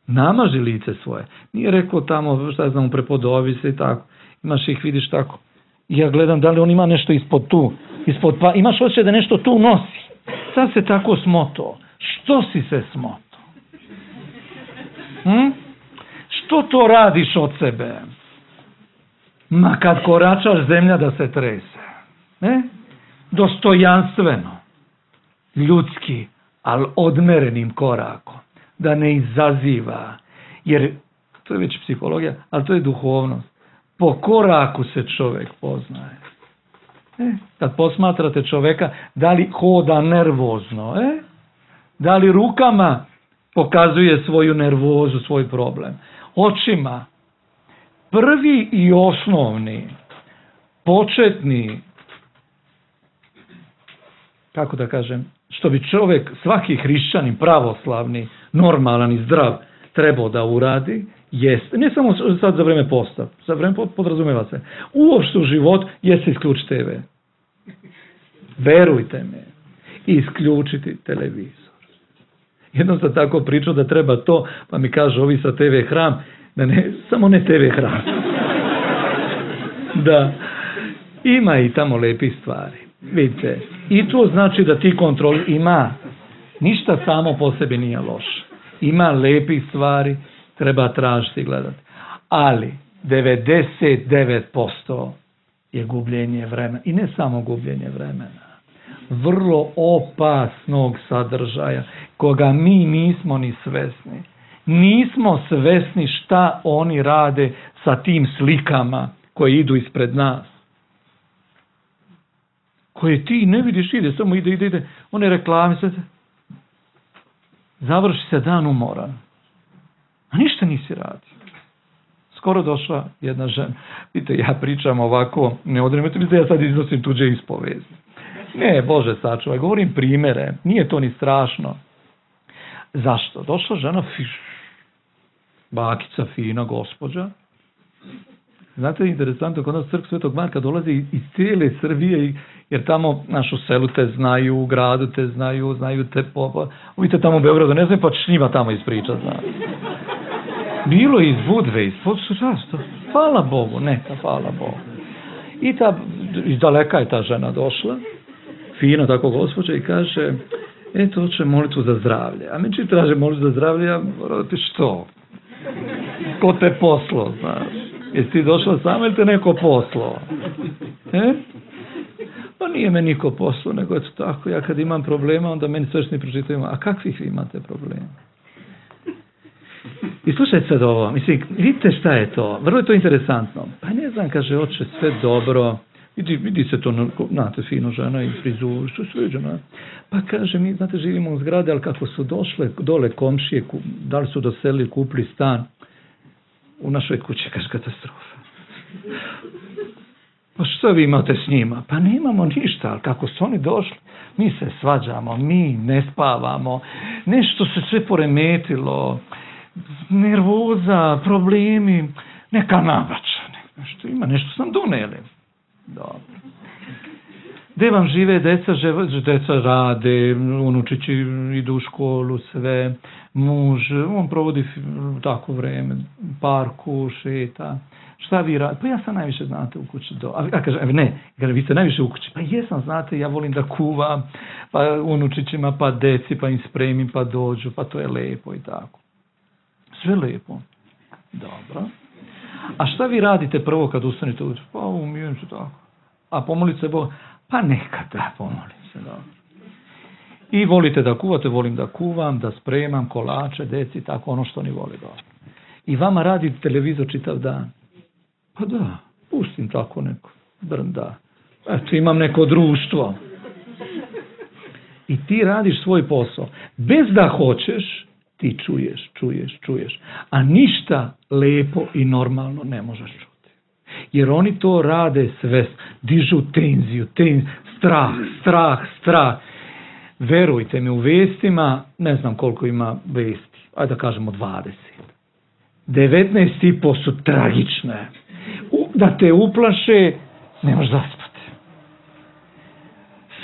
Namaži lice svoje. Nije rekao tamo, šta znam, prepodovi se i tako. Imaš ih, vidiš tako. Ja gledam da li on ima nešto ispod tu. Pa imaš osjećaj da nešto tu nosi. Sad se tako smoto. Što si se smoto? Što to radiš od sebe? Ma kad koračaš, zemlja da se trese. Dostojanstveno. Ljudski, ali odmerenim korakom. Da ne izaziva. Jer to je već psihologija, ali to je duhovnost. Po koraku se čovjek poznaje. Kad posmatrate čovjeka, da li hoda nervozno, da li rukama pokazuje svoju nervozu, svoj problem. Očima. Prvi i osnovni, početni, kako da kažem, što bi čovjek, svaki hrišćanin, pravoslavni, normalan i zdrav, trebao da uradi, jeste, ne samo sad za vreme posta, za vreme podrazumeva se, uopšte u život jeste isključiti TV. Verujte me, isključiti televizor. Jednom sam tako pričao da treba to, pa mi kažu ovi sa TV hram, da ne, samo ne TV hram. Da, ima i tamo lepih stvari. Vidite, i to znači da ti kontrol ima, ništa samo po sebi nije loše. Ima lepih stvari, treba tražiti i gledati. Ali 99% je gubljenje vremena. I ne samo gubljenje vremena. Vrlo opasnog sadržaja koga mi nismo ni svesni. Nismo svesni šta oni rade sa tim slikama koje idu ispred nas. Koje ti ne vidiš, ide, samo ide. One reklame se... Završi se dan umoran. A ništa nisi radio. skoro došla jedna žena. Vidite, ja pričam ovako, ne odremete mi da ja sad iznosim tuđe ispovesti. Ne, Bože sačuvaj, govorim primere, nije to ni strašno. Zašto? Došla žena, bakica, fina gospođa. Znate, interesantno, kod nas crkva Svetog Marka dolazi iz cijele Srbije, jer tamo našu selu te znaju, u gradu te znaju te vidite tamo u Beogradu, ne znam, pa ćeš njima tamo ispričati. Bilo iz Budve, hvala Bogu, neka, hvala Bogu. I iz daleka je ta žena došla, fina tako gospođa, i kaže, eto, hoće molitvu za zdravlje. A meni traže molitvu za zdravlje, ja moram ti što? Ko te poslo, znaš? Jesi ti došla sama ili te neko poslo? Pa nije me niko poslo, nego eto tako, ja kad imam problema, onda meni svešteni pročitaju, a kakvih vi imate problema? I slušajte sad ovo, mislim, vidite šta je to, vrlo je to interesantno. Pa ne znam, kaže, oče, sve dobro, vidi se to, znate, fino žena i frizuru, što je sređeno. Pa kaže, mi, znate, živimo u zgrade, ali kako su došle dole komšije, da li su doselili, kupili stan, u našoj kući, kaže, katastrofa. Pa što vi imate s njima? Pa nemamo ništa, ali kako su oni došli, mi se svađamo, mi ne spavamo, nešto se sve poremetilo, nervoza, problemi, neka navača, nešto ima, nešto sam doneli. Dobro. Gde vam žive deca? Deca rade, unučići idu u školu, sve, muž, on provodi tako vreme, parku, šeta. Šta vi radite? Pa ja sam najviše, znate, u kući. A kaže, ne, vi ste najviše u kući. Pa jesam, znate, ja volim da kuvam, pa unučićima, pa deci, pa im spremim, pa dođu, pa to je lepo i tako. Sve lepo. Dobro. A šta vi radite prvo kad ustanete uđu? Pa umijem se tako. A pomolite se Bog? Pa nekada pomolim se. Dobro. I volite da kuvate? Volim da kuvam, da spremam kolače, deci, tako, ono što oni vole. Dobro. I vama radi televizor čitav dan? Pa da, pustim tako neko brnda. Eto, imam neko društvo. I ti radiš svoj posao. Bez da hoćeš, ti čuješ. A ništa lepo i normalno ne možeš čuti. Jer oni to rade sve, dižu tenziju, strah. Verujte mi, u vestima, ne znam koliko ima vesti, ajde da kažemo 20. 19,5 su tragične. Da te uplaše, ne možeš zaspati.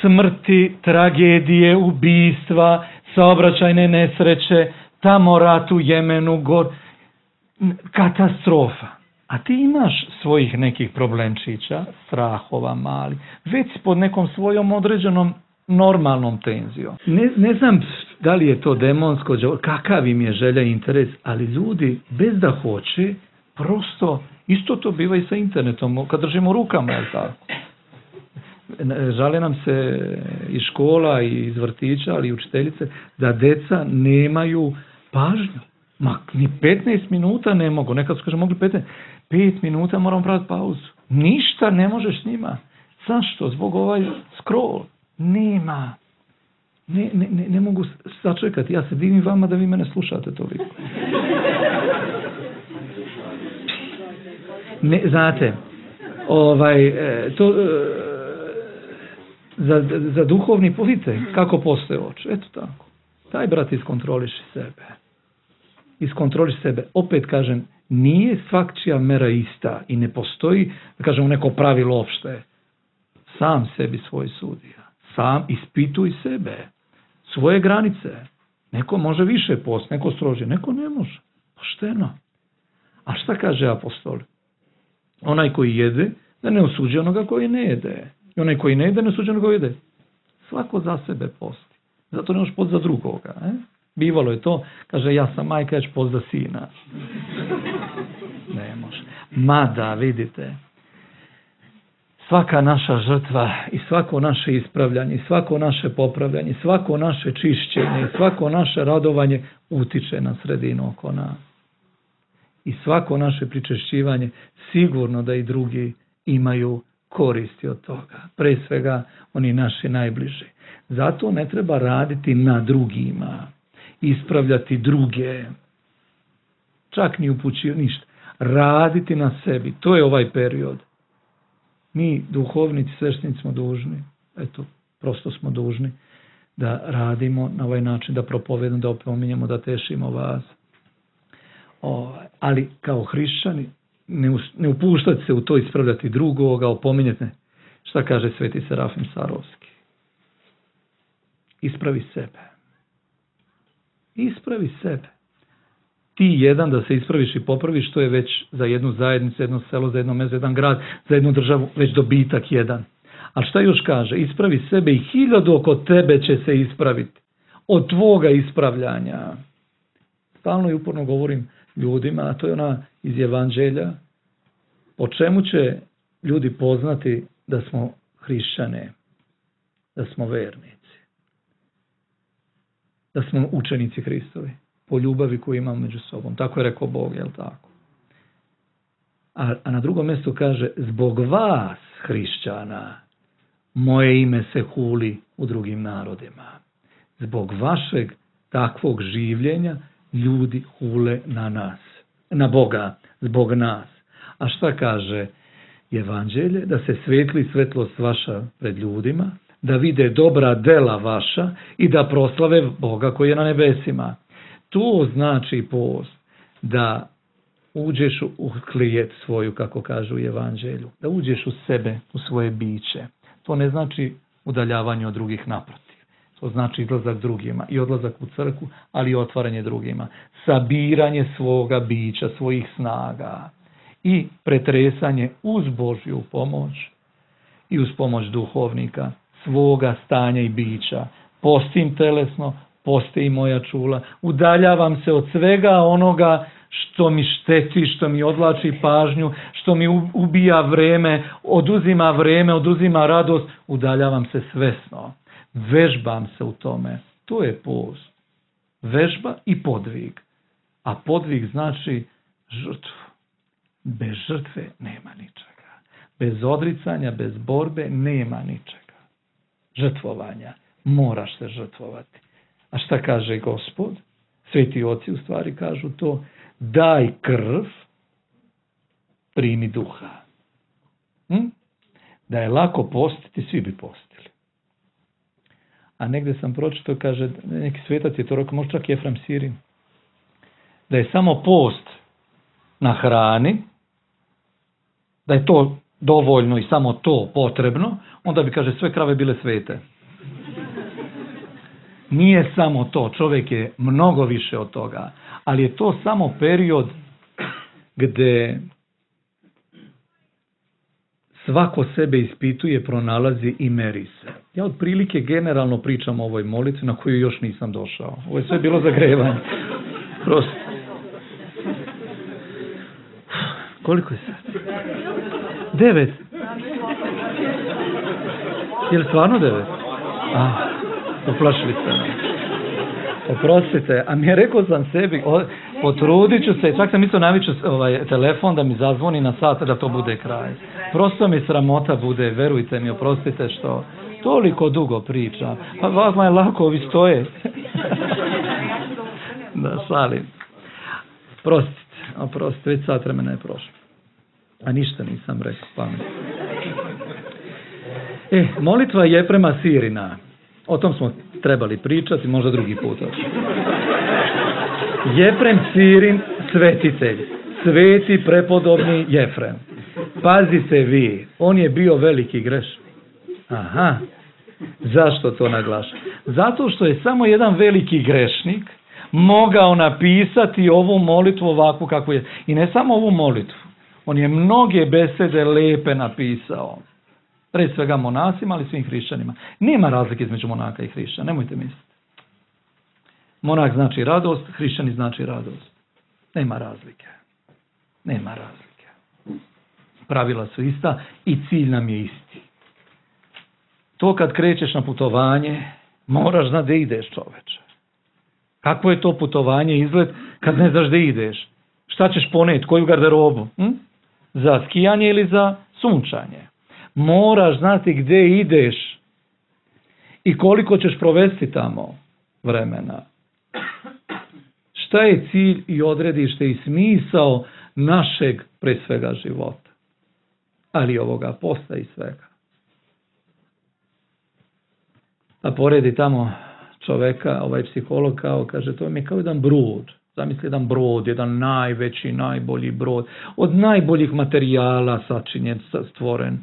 Smrti, tragedije, ubistva, saobraćajne nesreće, tamo rat u Jemenu, katastrofa. A ti imaš svojih nekih problemčića, strahova mali, već pod nekom svojom određenom normalnom tenzijom. Ne znam da li je to demonsko, kakav im je želja i interes, ali ljudi bez da hoće, prosto, isto to biva i sa internetom, kad držimo rukama, je tako? Žale nam se iz škola i iz vrtića, ali i učiteljice, da deca nemaju pažnju. Ma, ni 15 minuta ne mogu. Nekad su kaže, mogli 5 minuta moramo praviti pauzu. Ništa ne možeš s njima. Zašto? Zbog ovaj scroll. Nema. Ne mogu sačekati. Ja se divim vama da vi mene slušate toliko. Znate, za duhovni, vidite kako postoje oči. Eto tako. Taj brat iskontroliši sebe. Opet kažem, nije svakčija mera ista i ne postoji, da kažemo, neko pravilo opšte. Sam sebi svoj sudija. Sam ispituj sebe. Svoje granice. Neko može više post, neko strožije, neko ne može. Pošteno. A šta kaže apostol? Onaj koji jede, da ne osuđuje onoga koji ne jede. I onaj koji ne jede, ne osuđuje onoga koji jede. Svako za sebe posti. Zato ne možeš post za drugoga. Bivalo je to, kaže, ja sam majka, ja ću post za sina. Ne može. Mada, vidite, svaka naša žrtva i svako naše ispravljanje, svako naše popravljanje, svako naše čišćenje, svako naše radovanje utiče na sredinu oko nas. I svako naše pričešćivanje, sigurno da i drugi imaju koristi od toga. Pre svega oni naši najbliži. Zato ne treba raditi na drugima, ispravljati druge, čak ni upućivati ništa. raditi na sebi. To je ovaj period. Mi, duhovnici, sveštenici smo dužni, eto, prosto smo dužni da radimo na ovaj način, da propovedamo, da opominjemo, da tešimo vas. Ali kao hrišćani ne upuštati se u to, ispravljati drugoga, opominjati. Šta kaže sveti Serafim Sarovski? Ispravi sebe. Ispravi sebe. Ti jedan da se ispraviš i popraviš, to je već za jednu zajednicu, jedno selo, za jedno mesto, jedan grad, za jednu državu, već dobitak jedan. Ali šta još kaže? Ispravi sebe i 1000 oko tebe će se ispraviti. Od tvoga ispravljanja. Stalno i uporno govorim ljudima, a to je ona iz Evanđelja, po čemu će ljudi poznati da smo hrišćane, da smo vernici, da smo učenici Hristovi, po ljubavi koju imamo među sobom. Tako je rekao Bog, jel tako? A na drugom mjestu kaže, zbog vas, hrišćana, moje ime se huli u drugim narodima. Zbog vašeg takvog življenja ljudi hule na nas, na Boga, zbog nas. A šta kaže Evanđelje? Da se svetli svetlost vaša pred ljudima, da vide dobra dela vaša i da proslave Boga koji je na nebesima. To znači post, da uđeš u klijet svoju, kako kažu u Evanđelju, da uđeš u sebe, u svoje biće. To ne znači udaljavanje od drugih, naprotiv. To znači izlazak drugima i odlazak u crkvu, ali i otvaranje drugima. Sabiranje svoga bića, svojih snaga i pretresanje uz Božju pomoć i uz pomoć duhovnika svoga stanja i bića. Postim telesno, posti i moja čula. Udaljavam se od svega onoga što mi šteti, što mi odvlači pažnju, što mi ubija vreme, oduzima radost. Udaljavam se svesno. Vežbam se u tome. To je post. Vežba i podvig. A podvig znači žrtvu. Bez žrtve nema ničega. Bez odricanja, bez borbe nema ničega. Žrtvovanja. Moraš se žrtvovati. A šta kaže Gospod? Sveti oci u stvari kažu to. Daj krv, primi duha. Da je lako postiti, svi bi postili. A negdje sam pročitao, kaže, neki svetac je to rekao, možda čak Jefrem Sirin, da je samo post na hrani, da je to dovoljno i samo to potrebno, onda bi, kaže, sve krave bile svete. Nije samo to, čovjek je mnogo više od toga, ali je to samo period gdje svako sebe ispituje, pronalazi i meri se. Ja otprilike generalno pričam o ovoj molitvi na koju još nisam došao. Ovo je sve bilo zagrevanje. Prosto. Koliko je sad? 9. Je li stvarno 9? Poplašili ste me. Oprostite, a mi je rekao sam sebi, potrudit ću se, čak sam mislio naviću telefon da mi zazvoni na sat da to bude kraj. Prosto mi sramota bude, verujte mi, oprostite što toliko dugo pričam. Pa vama je lako, ovi stoje. Da, šalim. Oprostite, već sat vremena je prošlo. A ništa nisam rekao, pametno. Molitva Jefrema Sirina. O tom smo trebali pričati, možda drugi put. Jefrem Sirin, svetitelj. Sveti prepodobni Jefrem. Pazite vi, on je bio veliki grešnik. Aha, zašto to naglašam? Zato što je samo jedan veliki grešnik mogao napisati ovu molitvu ovakvu kakvu je. I ne samo ovu molitvu. On je mnoge besede lepe napisao. Pred svega monasima, ali svim hrišćanima. Nema razlike između monaka i hrišćana, nemojte misliti. Monak znači radost, hrišćani znači radost. Nema razlike. Nema razlike. Pravila su ista i cilj nam je isti. To kad krećeš na putovanje, moraš znati gdje ideš, čoveče. Kakvo je to putovanje, izgled, kad ne znaš gdje ideš? Šta ćeš poneti, koju garderobu? Za skijanje ili za sunčanje? Moraš znati gdje ideš i koliko ćeš provesti tamo vremena. Šta je cilj i odredište i smisao našeg pre svega života. Ali ovoga posta i svega. A poredi tamo čoveka, ovaj psiholog kaže, to mi je kao jedan brod. Zamisli jedan brod, jedan najveći, najbolji brod, od najboljih materijala sačinjen, stvoren,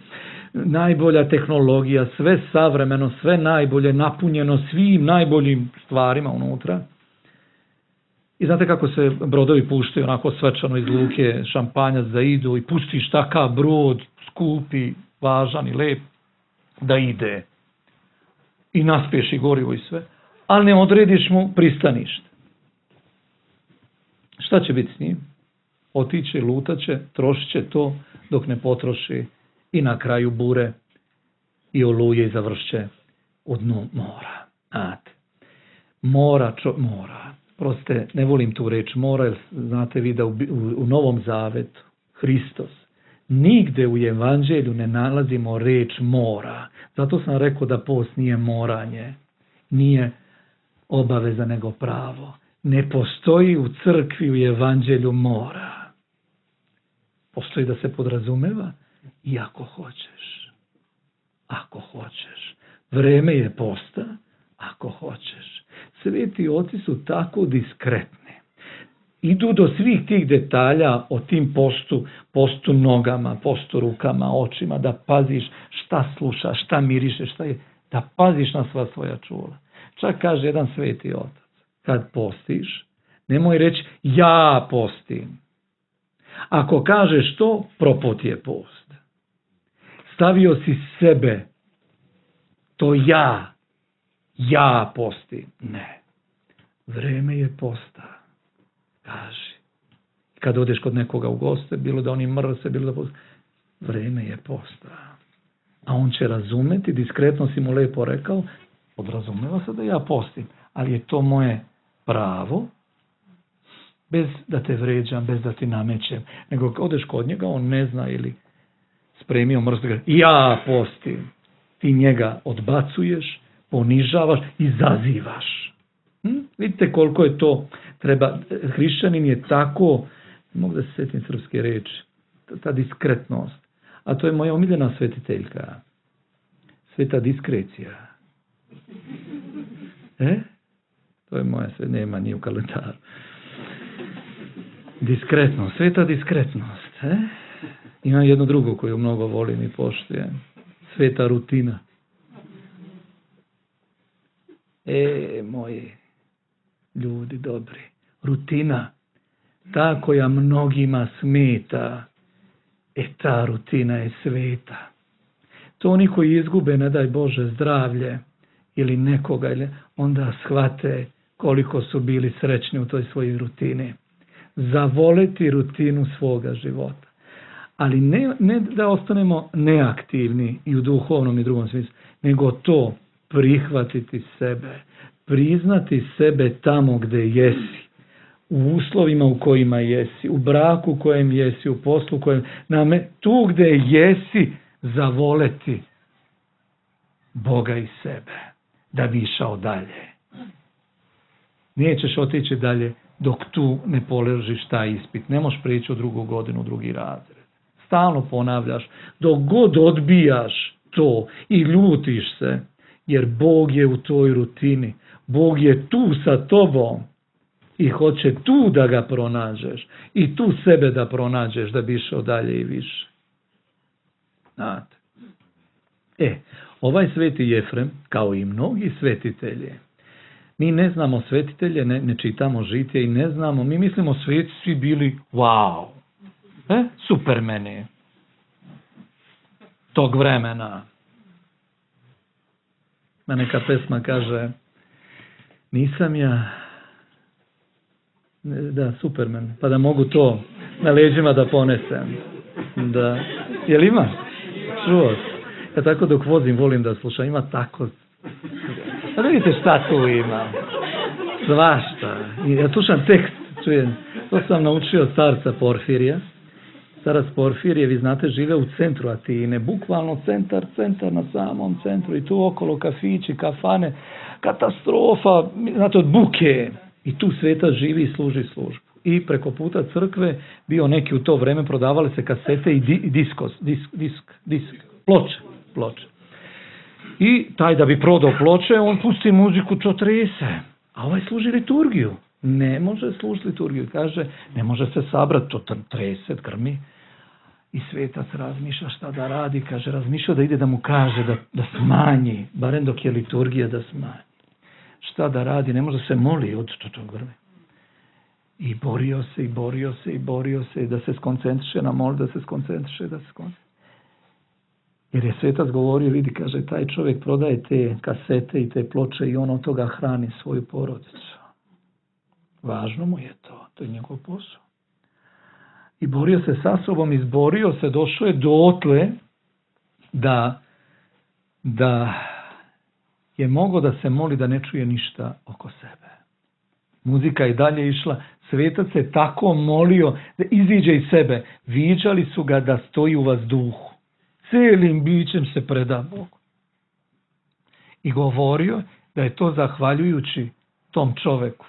najbolja tehnologija, sve savremeno, sve najbolje, napunjeno svim najboljim stvarima unutra. I znate kako se brodovi puštaju onako svečano iz luke, šampanjac da idu i pustiš takav brod, skupi, važan i lep, da ide. I naspiješ i gorivo i sve, ali ne odrediš mu pristanište. Šta će biti s njim? Otiće, lutaće, trošit će to dok ne potroši i na kraju bure i oluje i završće u dnu mora. Znate, mora. Proste, ne volim tu reč mora, jer znate vi da u Novom Zavetu Hristos nigde u Evanđelju ne nalazimo reč mora. Zato sam rekao da post nije moranje, nije obaveza nego pravo. Ne postoji u crkvi u Evanđelju mora. Postoji da se podrazumeva i ako hoćeš. Ako hoćeš. Vreme je posta, ako hoćeš. Sveti oci su tako diskretni. Idu do svih tih detalja o tim postu nogama, postu rukama, očima, da paziš šta slušaš, šta mirišeš, da paziš na sva svoja čula. Čak kaže jedan sveti otac, kad postiš, nemoj reći ja postim. Ako kažeš to, propot je post. Stavio si sebe, to ja postim. Ne, vreme je posta. Kaži. Kad odeš kod nekoga u goste, bilo da oni mrse, bilo da posta, vreme je posta. A on će razumeti, diskretno si mu lepo rekao, podrazumeva se da ja postim, ali je to moje pravo, bez da te vređam, bez da ti namećem, nego odeš kod njega, on ne zna ili spremio mrsko, ja postim. Ti njega odbacuješ, ponižavaš i zazivaš. Vidite koliko je to treba. Hrišćanin je tako, mogu da se sjetim srpske reči, ta diskretnost. A to je moja omiljena svetiteljka. Sveta diskrecija. To je moja, sve nema, nije u kalendaru. Diskretnost, sveta diskretnost. Imam jednu drugu koju mnogo volim i poštujem. Sveta rutina. Moji ljudi dobri. Rutina. Ta koja mnogima smeta. Ta rutina je sveta. To oni koji izgube, ne daj Bože, zdravlje ili nekoga, onda shvate koliko su bili srećni u toj svojoj rutini. Zavoleti rutinu svoga života. Ali ne da ostanemo neaktivni i u duhovnom i drugom smislu, nego to prihvatiti sebe, priznati sebe tamo gde jesi, u uslovima u kojima jesi, u braku u kojem jesi, u poslu u kojem, tu gde jesi, zavoleti Boga i sebe, da bi išao dalje. Nećeš otići dalje dok tu ne položiš taj ispit. Ne možeš prijeći u drugu godinu, drugi razred. Stalno ponavljaš, dok god odbijaš to i ljutiš se, jer Bog je u toj rutini. Bog je tu sa tobom i hoće tu da ga pronađeš i tu sebe da pronađeš da bi išao dalje i više. Znate. Ovaj sveti Jefrem, kao i mnogi svetitelji, mi ne znamo svetitelje, ne čitamo žitije i ne znamo, mi mislimo sveti svi bili wow, supermeni tog vremena. Neka pesma kaže, nisam ja superman, pa da mogu to na leđima da ponesem. Da. Jel ima? Čuo. Ja tako dok vozim volim da slušam, ima tako. A vidite šta tu ima. Svašta. Ja slušam tekst, čujem. To sam naučio od starca Porfirija. Starac Porfirije, vi znate, žive u centru Atine, bukvalno centar na samom centru i tu okolo kafići, kafane, katastrofa, znate, od buke. I tu svetac živi i služi službu. i preko puta crkve bio neki u to vreme prodavali se kasete i ploče. I taj da bi prodao ploče, on pusti muziku, to trese. A ovaj služi liturgiju. Ne može služiti liturgiju. Kaže, ne može se sabrati, to trese, grmi. I svetac razmišlja šta da radi. Kaže, razmišlja da ide da mu kaže da smanji, barem dok je liturgija da smanji. Šta da radi, ne može se moli od to grmi. I borio se da se skoncentriše na mol, da se skoncentriše. Jer je svetac govorio, vidi, kaže, taj čovjek prodaje te kasete i te ploče i on od toga hrani svoju porodicu. Važno mu je to je njegov posao. I borio se sa sobom, izborio se, došao je dotle da je mogao da se moli da ne čuje ništa oko sebe. Muzika je dalje išla, svetac se tako molio da iziđe iz sebe. Viđali su ga da stoji u vazduhu. Cijelim bićem se preda Bogu. I govorio da je to zahvaljujući tom čoveku.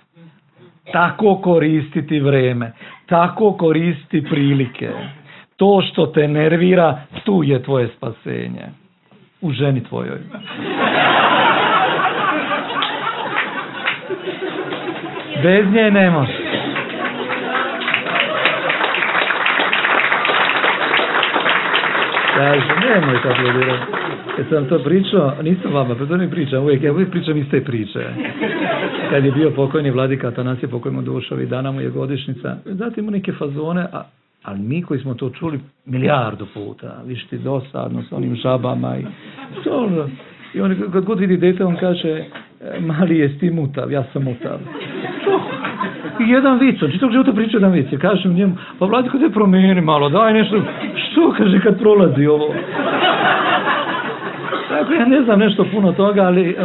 Tako koristiti vreme, tako koristiti prilike. To što te nervira, tu je tvoje spasenje. U ženi tvojoj. Bez nje ne može. Kaže, nemoj tako aplaudirati. Kad sam to pričao, nisam vama, pa to ne pričam uvijek, ja uvijek pričam iste priče. Kad je bio pokojni vladika Atanasije, pokojimo dušu, ovih dana mu je godišnjica, zatim mu neke fazone, ali mi koji smo to čuli milijardu puta, viš ti dosadno s onim žabama i to. I on kad god vidi dete, on kaže, mali jesi ti mutav, ja sam mutav. I jedan vic, on čitog života priča jedan vic, kažem njemu, pa vladiko te promijeni malo, daj nešto, što kaže kad prolazi ovo. Tako ja ne znam nešto puno toga, ali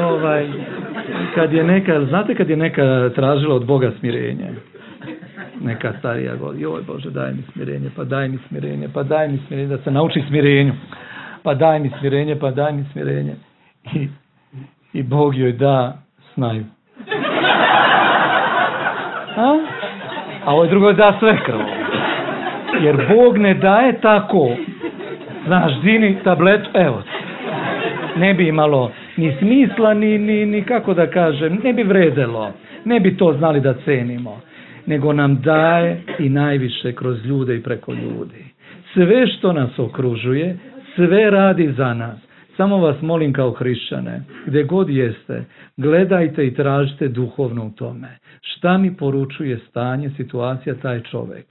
znate kad je neka tražila od Boga smirenje, neka starija god, joj Bože daj mi smirenje, pa daj mi smirenje, pa daj mi smirenje, da se nauči smirenju, pa daj mi smirenje, pa daj mi smirenje. I Bog joj da snaju. A ovaj drugo da sve krvo. Jer Bog ne daje tako, znaš, dini tabletu, evo. Ne bi imalo ni smisla, ni kako da kažem, ne bi vredelo, ne bi to znali da cenimo, nego nam daje i najviše kroz ljude i preko ljudi. Sve što nas okružuje, sve radi za nas. Samo vas molim kao hrišćane, gdje god jeste, gledajte i tražite duhovno u tome. Šta mi poručuje stanje, situacija, taj čovjek?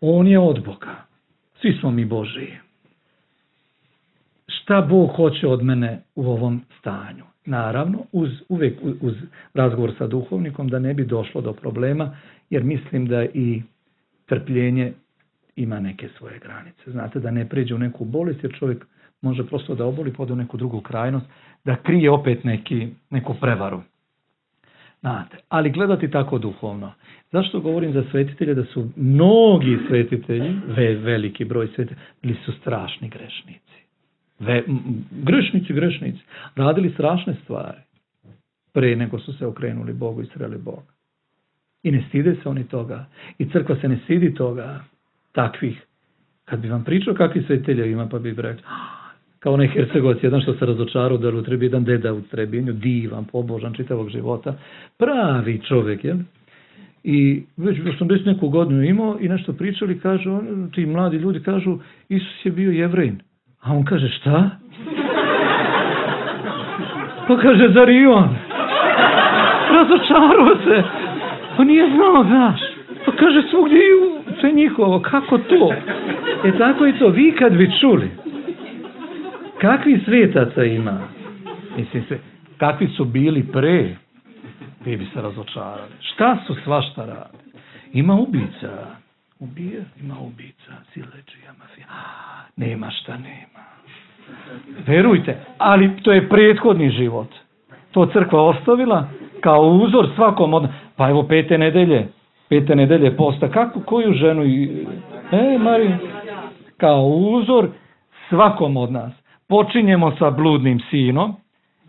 On je od Boga. Svi smo mi Božiji. Šta Bog hoće od mene u ovom stanju? Naravno, uvijek uz razgovor sa duhovnikom da ne bi došlo do problema, jer mislim da i trpljenje ima neke svoje granice. Znate, da ne pređe u neku bolest, jer čovjek može prosto da oboli, pa u neku drugu krajnost, da krije opet neku prevaru. Znate, ali gledati tako duhovno. Zašto govorim za svetitelje? Da su mnogi svetitelji, veliki broj svetitelja, bili su strašni grešnici. Grešnici. Radili strašne stvari. Pre nego su se okrenuli Bogu i sreli Boga. I ne stide se oni toga. I crkva se ne stidi toga. Takvih. Kad bi vam pričao kakvi svetitelji ima, pa bi rekao, kao onaj Hercegovac, jedan što se razočarao da u Trebinju, jedan deda u Trebinju, divan, pobožan čitavog života, pravi čovjek, jel? I već 80 neku godinu imao i nešto pričali, kažu, ti mladi ljudi kažu, Isus je bio Jevrejin. A on kaže, šta? Pa kaže, zar i on? Razočarao se. Pa nije znao, znaš. Pa kaže, svugdje sve njihovo, kako to? Tako je to, vi kad bi čuli, kakvi svetaca ima? Mislim se, kakvi su bili pre, vi bi se razočarali. Šta su svašta radi? Ima ubica. Ima ubica, sileđija, mafija. Nema šta nema. Verujte, ali to je prethodni život. To crkva ostavila kao uzor svakom od... Pa evo 5. nedelje posta. Koju ženu... Marija, kao uzor svakom od nas. Počinjemo sa bludnim sinom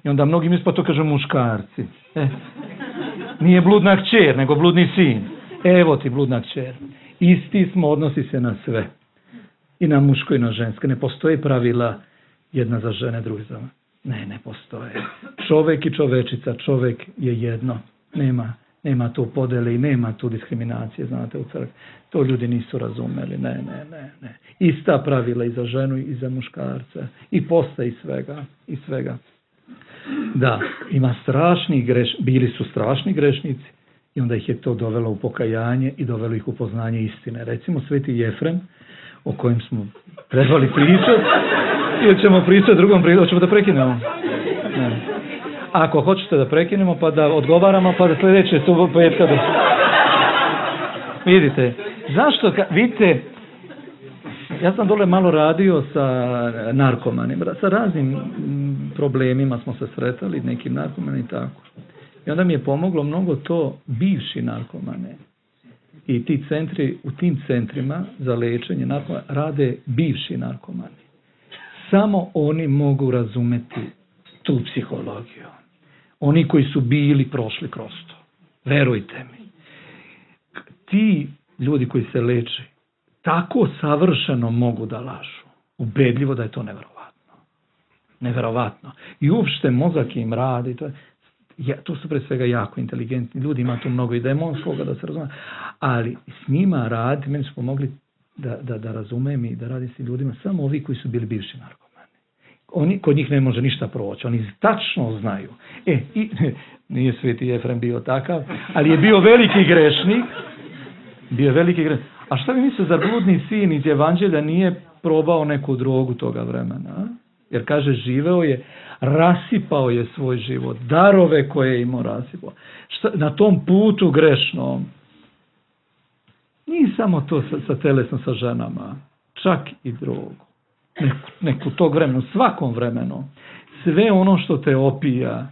i onda mnogi misle, pa to kažu muškarci. Nije bludna kćer, nego bludni sin. Evo ti bludna kćer. Isti smo, odnosi se na sve. I na muško i na žensko. Ne postoje pravila jedna za žene, druga za... Ne postoje. Čovek i čovečica, čovek je jedno. Nema tu podele i nema tu diskriminacije, znate, u crkvi. To ljudi nisu razumeli. Ne. Ista pravila i za ženu i za muškarca. I posta i svega. Da, ima bili su strašni grešnici i onda ih je to dovelo u pokajanje i dovelo ih u poznanje istine. Recimo Sveti Jefrem, o kojem smo trebali pričati, ili ćemo pričati drugom prilikom, hoćemo da prekinemo? Ne. Ako hoćete da prekinemo, pa da odgovaramo, pa da sljedeće petka da... Vidite, zašto, vidite, ja sam dole malo radio sa narkomanima, sa raznim problemima smo se sretali, nekim narkomanima i tako. I onda mi je pomoglo mnogo to bivši narkomane. I ti centri, u tim centrima za lečenje narkomana rade bivši narkomani. Samo oni mogu razumeti tu psihologiju. Oni koji su bili prošli kroz to. Verujte mi. Ti ljudi koji se leče tako savršeno mogu da lažu. Ubedljivo da je to neverovatno. Neverovatno. I uopšte mozak im radi. To su pre svega jako inteligentni ljudi. Ima tu mnogo i demonskoga da se razume. Ali s njima radi, meni su pomogli da razumem i da radim s ljudima samo ovi koji su bili bivši narkomani. Kod njih ne može ništa proći. Oni tačno znaju. Nije Sveti Jefrem bio takav, ali je bio veliki grešnik. A šta bi mislio, zar bludni sin iz Evanđelja nije probao neku drogu toga vremena? Jer kaže, živeo je, rasipao je svoj život, darove koje je imao rasipao. Na tom putu grešnom, nije samo to sa telesno sa ženama, čak i drogu. Neku tog vremena, svakom vremenu. Sve ono što te opija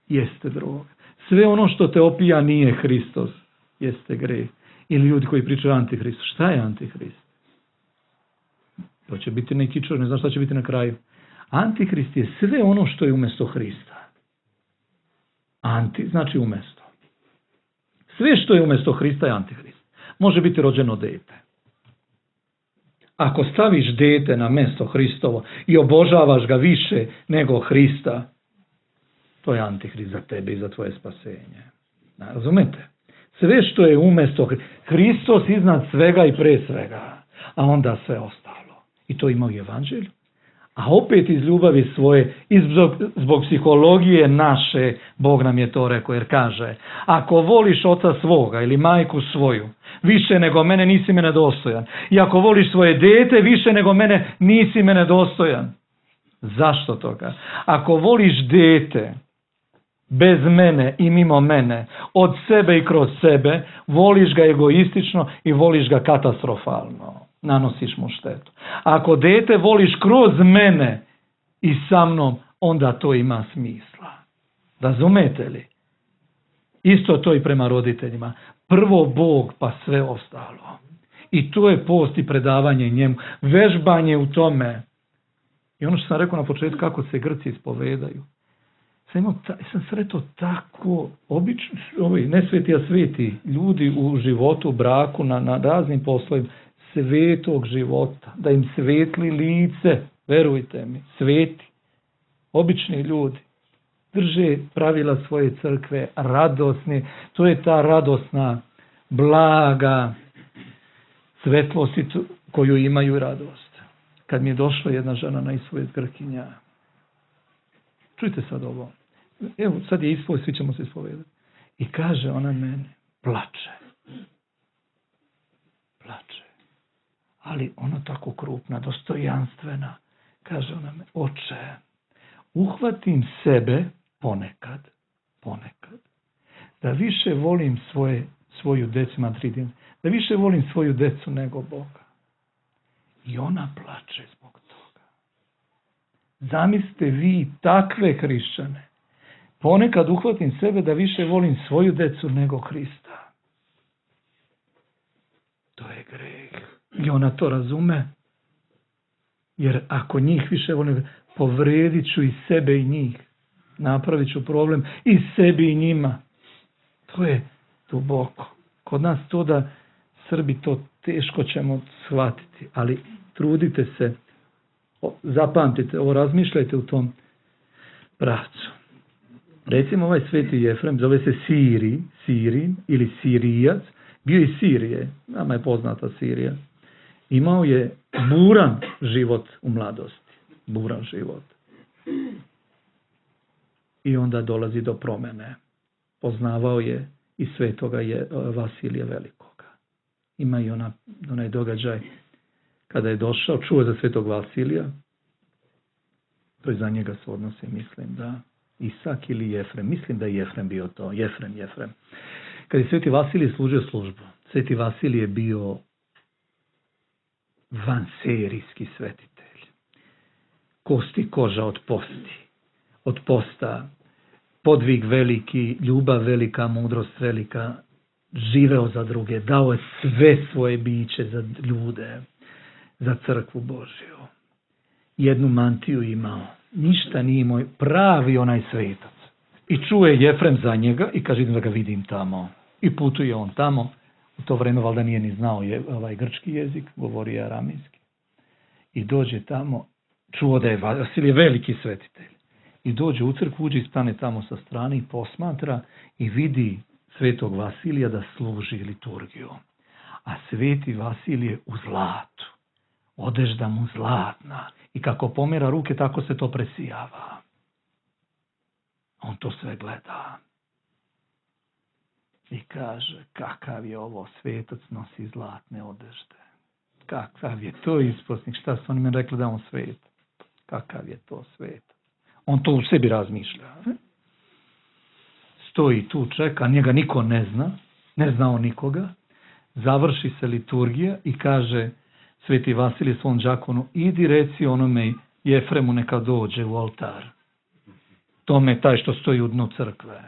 jeste droga. Sve ono što te opija nije Hristos, jeste greh. Ili ljudi koji pričaju o Antihristu. Šta je Antihrist? To će biti neki čovjek, ne znam šta će biti na kraju. Antihrist je sve ono što je umjesto Hrista. Anti znači umjesto. Sve što je umjesto Hrista je Antihrist. Može biti rođeno dete. Ako staviš dete na mjesto Hristovo i obožavaš ga više nego Hrista, to je Antihrist za tebe i za tvoje spasenje. Razumete? Sve što je umjesto Hristos iznad svega i pre svega, a onda sve ostalo. I to ima u Evanđelju. A opet iz ljubavi svoje, i zbog psihologije naše, Bog nam je to rekao, jer kaže, ako voliš oca svoga ili majku svoju, više nego mene, nisi mene dostojan. I ako voliš svoje dete, više nego mene, nisi mene dostojan. Zašto toga? Ako voliš dete bez mene i mimo mene, od sebe i kroz sebe, voliš ga egoistično i voliš ga katastrofalno. Nanosiš mu štetu. Ako dete voliš kroz mene i sa mnom, onda to ima smisla. Razumete li? Isto to i prema roditeljima. Prvo Bog, pa sve ostalo. I to je post i predavanje njemu. Vežbanje u tome. I ono što sam rekao na početku, kako se Grci ispovedaju. Sam sretao tako obično, ne sveti, a sveti ljudi u životu, u braku, na raznim poslovima, svetog života, da im svetli lice, verujte mi, sveti, obični ljudi, drže pravila svoje crkve, radosni, to je ta radosna, blaga svetlost koju imaju radost. Kad mi je došla jedna žena na ispoved Grkinja, čujte sad ovo, evo sad je ispoved, svi ćemo se ispovedati, i kaže ona meni, plače, ali ona tako krupna, dostojanstvena, kaže ona me, oče, uhvatim sebe ponekad, da više volim svoju decu, imam 3 djece, da više volim svoju decu nego Boga. I ona plače zbog toga. Zamislite vi takve hrišćane. Ponekad uhvatim sebe da više volim svoju decu nego Hrista. To je greh. I ona to razume. Jer ako njih više volim, povredit ću i sebe i njih. Napravit ću problem i sebi i njima. To je duboko. Kod nas to da Srbi to teško ćemo shvatiti, ali trudite se, zapamtite, ovo razmišljajte u tom pravcu. Recimo ovaj sveti Jefrem, zove se Sirin ili Sirijac, bio iz Sirije, nama je poznata Sirija. Imao je buran život u mladosti, buran život. I onda dolazi do promene. Poznavao je i svetoga Vasilija Velikoga. Ima i onaj događaj kada je došao, čuo za svetog Vasilija, to je za njega se odnosi, mislim da Isak ili Jefrem, mislim da je Jefrem bio to, Jefrem. Kad je sveti Vasilij služio službu, sveti Vasilij je bio vanserijski svetitelj. Kosti koža od posta, podvig veliki, ljubav velika, mudrost velika, živeo za druge, dao je sve svoje biće za ljude, za crkvu Božju. Jednu mantiju imao, ništa nije imao, pravi onaj svetac. I čuje Jefrem za njega i kaže, idem da ga vidim tamo. I putuje on tamo. U to vreme valjda nije ni znao grčki jezik, govorio aramejski. I dođe tamo, čuo da je Vasilije veliki svetitelj. I dođe u crkvu, uđe i stane tamo sa strane i posmatra i vidi svetog Vasilija da služi liturgiju. A sveti Vasilije u zlatu. Odežda mu zlatna. I kako pomera ruke, tako se to presijava. On to sve gleda. I kaže, kakav je ovo, svetac nosi zlatne odežde. Kakav je to isposnik, šta su oni meni rekli da on svet? Kakav je to svet? On to u sebi razmišlja. Stoji tu, čeka, njega niko ne zna on nikoga. Završi se liturgija i kaže sveti Vasilije svom đakonu, idi reci onome Jefremu neka dođe u oltar. Tome taj što stoji u dnu crkve.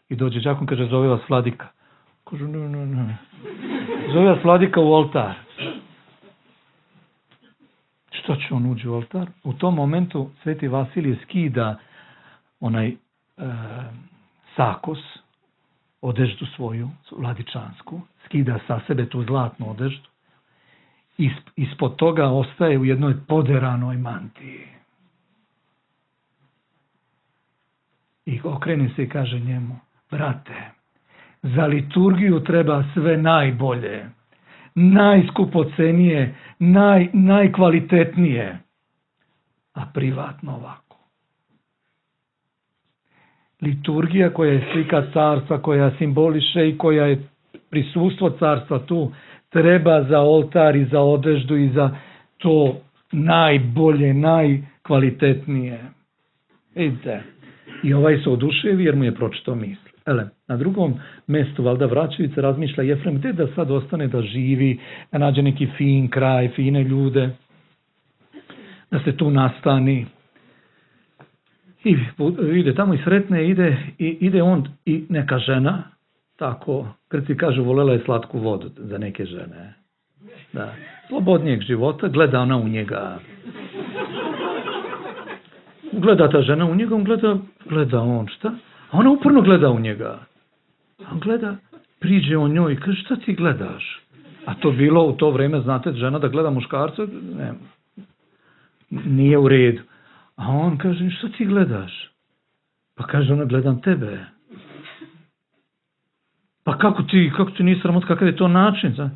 I dođe đakon, kaže, zove vas vladika. Kaže, ne. Zove vas vladika u oltar. Što će on uđi u oltar? U tom momentu sveti Vasilije skida onaj sakos, odeždu svoju, vladičansku, skida sa sebe tu zlatnu odeždu. Ispod toga ostaje u jednoj poderanoj mantiji. I okrene se i kaže njemu, brate, za liturgiju treba sve najbolje, najskupocenije, najkvalitetnije, a privatno ovako. Liturgija koja je slika carstva, koja simboliše i koja je prisustvo carstva tu, treba za oltar i za odeždu i za to najbolje, najkvalitetnije. Vidite, i ovaj se oduševi jer mu je pročitao misli. Na drugom mjestu, valjda vraćajući, razmišlja Jefrem, gdje da sad ostane da živi, da nađe neki fin kraj, fine ljude, da se tu nastani. I ide tamo i sretne, ide on i neka žena, tako, Grci kažu, volela je slatku vodu za neke žene. Da, slobodnijeg života, gleda ona u njega. Gleda ta žena u njega, on gleda on, šta? A ona uporno gleda u njega. On gleda, priđe on njoj i kaže, šta ti gledaš? A to bilo u to vrijeme, znate, žena da gleda muškarca, ne, nije u redu. A on kaže, šta ti gledaš? Pa kaže ona, gledam tebe. Pa kako ti nisi sramot, kakav je to način?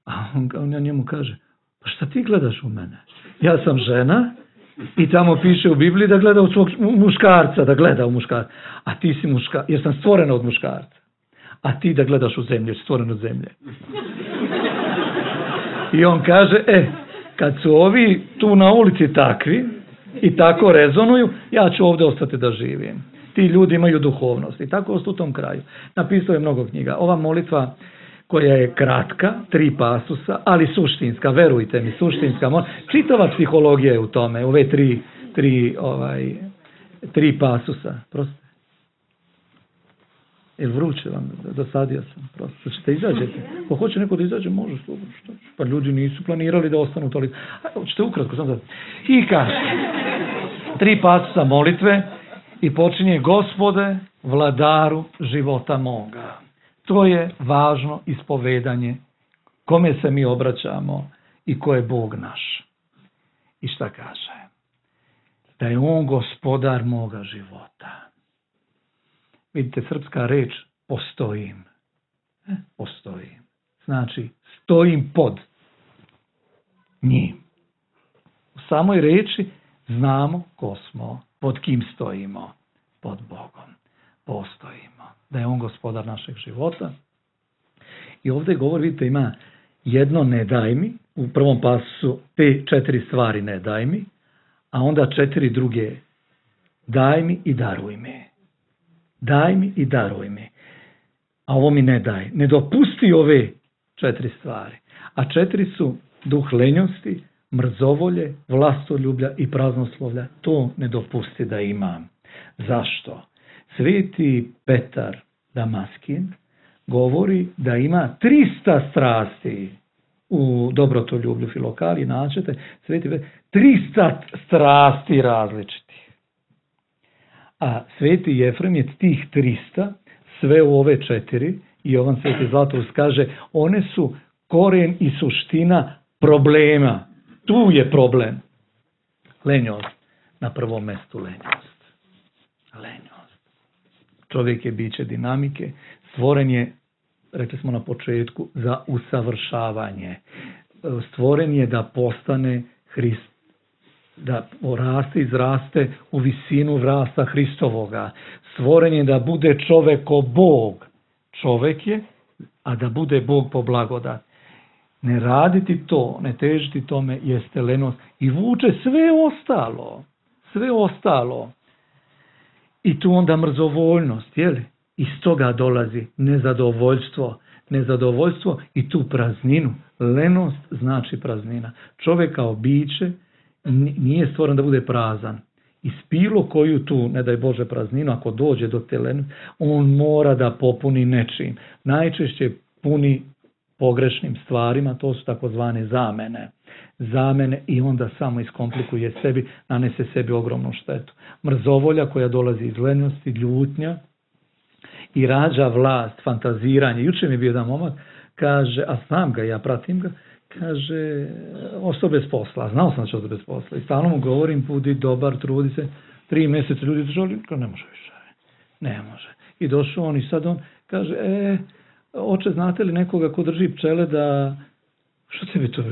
A on njemu kaže, pa šta ti gledaš u mene? Ja sam žena i tamo piše u Bibliji da gleda u svog muškarca, da gleda u muškarca. A ti si muškarca, jer sam stvorena od muškarca. A ti da gledaš u zemlju, jer si stvoren od zemlje. I on kaže, kad su ovi tu na ulici takvi i tako rezonuju, ja ću ovdje ostati da živim. Ti ljudi imaju duhovnost. I tako ostao u tom kraju. Napisao je mnogo knjiga. Ova molitva koja je kratka, 3 pasusa, ali suštinska, verujte mi, suštinska. Čitava psihologija je u tome, ove 3 pasusa. Prosto. Jel vruće vam? Dosadio sam. Prosto. Ćete izađete? Ko hoće neko da izađe, može. Pa ljudi nisu planirali da ostanu toliko. Hoćete ukratko sam da... I kaže, 3 pasusa molitve i počinje, Gospode, vladaru života moga. To je važno ispovedanje, kome se mi obraćamo i ko je Bog naš. I šta kaže? Da je on gospodar moga života. Vidite, srpska reč postojim. Postojim. Znači, stojim pod njim. U samoj reči znamo ko smo, pod kim stojimo. Pod Bogom. Postojimo. Da je on gospodar našeg života. I ovdje govori, vidite, ima jedno ne daj mi. U prvom pasu te 4 stvari ne daj mi. A onda 4 druge. Daj mi i daruj mi. Daj mi i daruj mi. A ovo mi ne daj. Ne dopusti ove 4 stvari. A 4 su duh lenjosti, mrzovolje, vlastoljublja i praznoslovlja. To ne dopusti da imam. Zašto? Sveti Petar Damaskin govori da ima 300 strasti u dobrotoljublju Filokali, naćete, Sveti Petar, 300 strasti različitih. A Sveti Jefrem je tih 300 sve u ove 4 i Jovan Sveti Zlatoust kaže, one su koren i suština problema. Tu je problem. Lenjost. Na prvom mjestu lenjost. Lenjost. Čovjek je biće dinamike. Stvoren je, rekli smo na početku, za usavršavanje. Stvoren je da postane Hrist, da poraste, izraste u visinu rasta Hristovoga. Stvoren je da bude čovjek ko Bog. Čovjek je, a da bude Bog po blagodati. Ne raditi to, ne težiti tome jeste lenost i vuče sve ostalo. Sve ostalo. I tu onda mrzovoljnost, jeli? Iz toga dolazi nezadovoljstvo. Nezadovoljstvo i tu prazninu. Lenost znači praznina. Čovjek kao biće nije stvoren da bude prazan. I bilo koju tu, ne daj Bože, prazninu, ako dođe do te lenosti, on mora da popuni nečim. Najčešće puni pogrešnim stvarima, to su takozvane zamene. Zamene i onda samo iskomplikuje sebi, nanese sebi ogromnu štetu. Mrzovolja koja dolazi iz lenjosti, ljutnja i rađa vlast, fantaziranje. Juče mi je bio jedan momak, kaže, a znam ga, ja pratim ga, kaže, ostao bez posla. Znao sam da će ostao bez posla. I stalno mu govorim, budi dobar, trudi se. 3 mjeseca ljudi držali, ne može više. Ne može. I došao on i sad on kaže, oče, znate li nekoga ko drži pčele da... Što tebi to...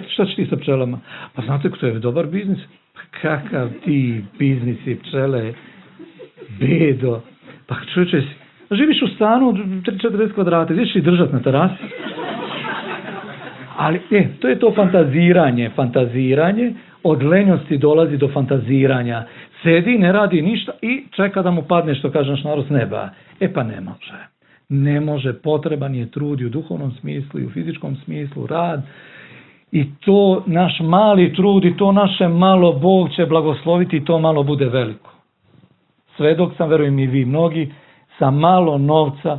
Šta će ti sa pčelama? Pa znate ko to je dobar biznis? Kakav ti biznisi, pčele, bedo. Pa čovječe, živiš u stanu od 40 kvadrata, gdje ćeš ih držati na terasi? Ali, to je to fantaziranje. Fantaziranje od lenjosti dolazi do fantaziranja. Sedi, ne radi ništa i čeka da mu padne, što kaže naš narod, s neba. Pa ne može. Ne može, potreban je trud i u duhovnom smislu i u fizičkom smislu, rad. I to naš mali trud i to naše malo Bog će blagosloviti i to malo bude veliko. Sve dok sam, verujem i vi mnogi, sa malo novca,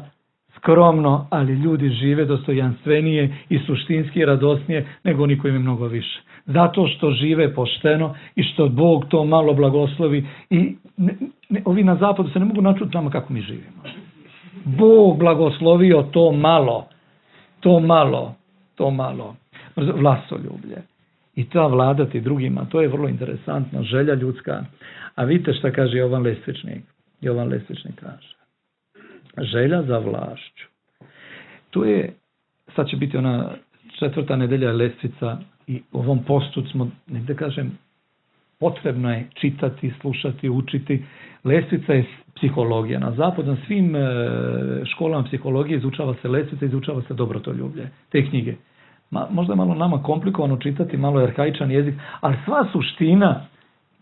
skromno, ali ljudi žive dostojanstvenije i suštinski radosnije nego oni koji imaju mnogo više. Zato što žive pošteno i što Bog to malo blagoslovi i ovi na zapadu se ne mogu načuti nama kako mi živimo. Bog blagoslovio to malo, vlastoljublje. I ta vladati drugima, to je vrlo interesantno, želja ljudska. A vidite šta kaže Jovan Lestvičnik. Jovan Lestvičnik kaže, želja za vlašću. Tu je, sad će biti ona 4. nedelja Lestvica i u ovom postu smo, negdje kažem, potrebno je čitati, slušati, učiti. Lestvica je psihologija. Na zapadu, na svim školama psihologije izučava se lestvica, izučava se dobrotoljublje. Te knjige. Možda je malo nama komplikovano čitati, malo je arhaičan jezik, ali sva suština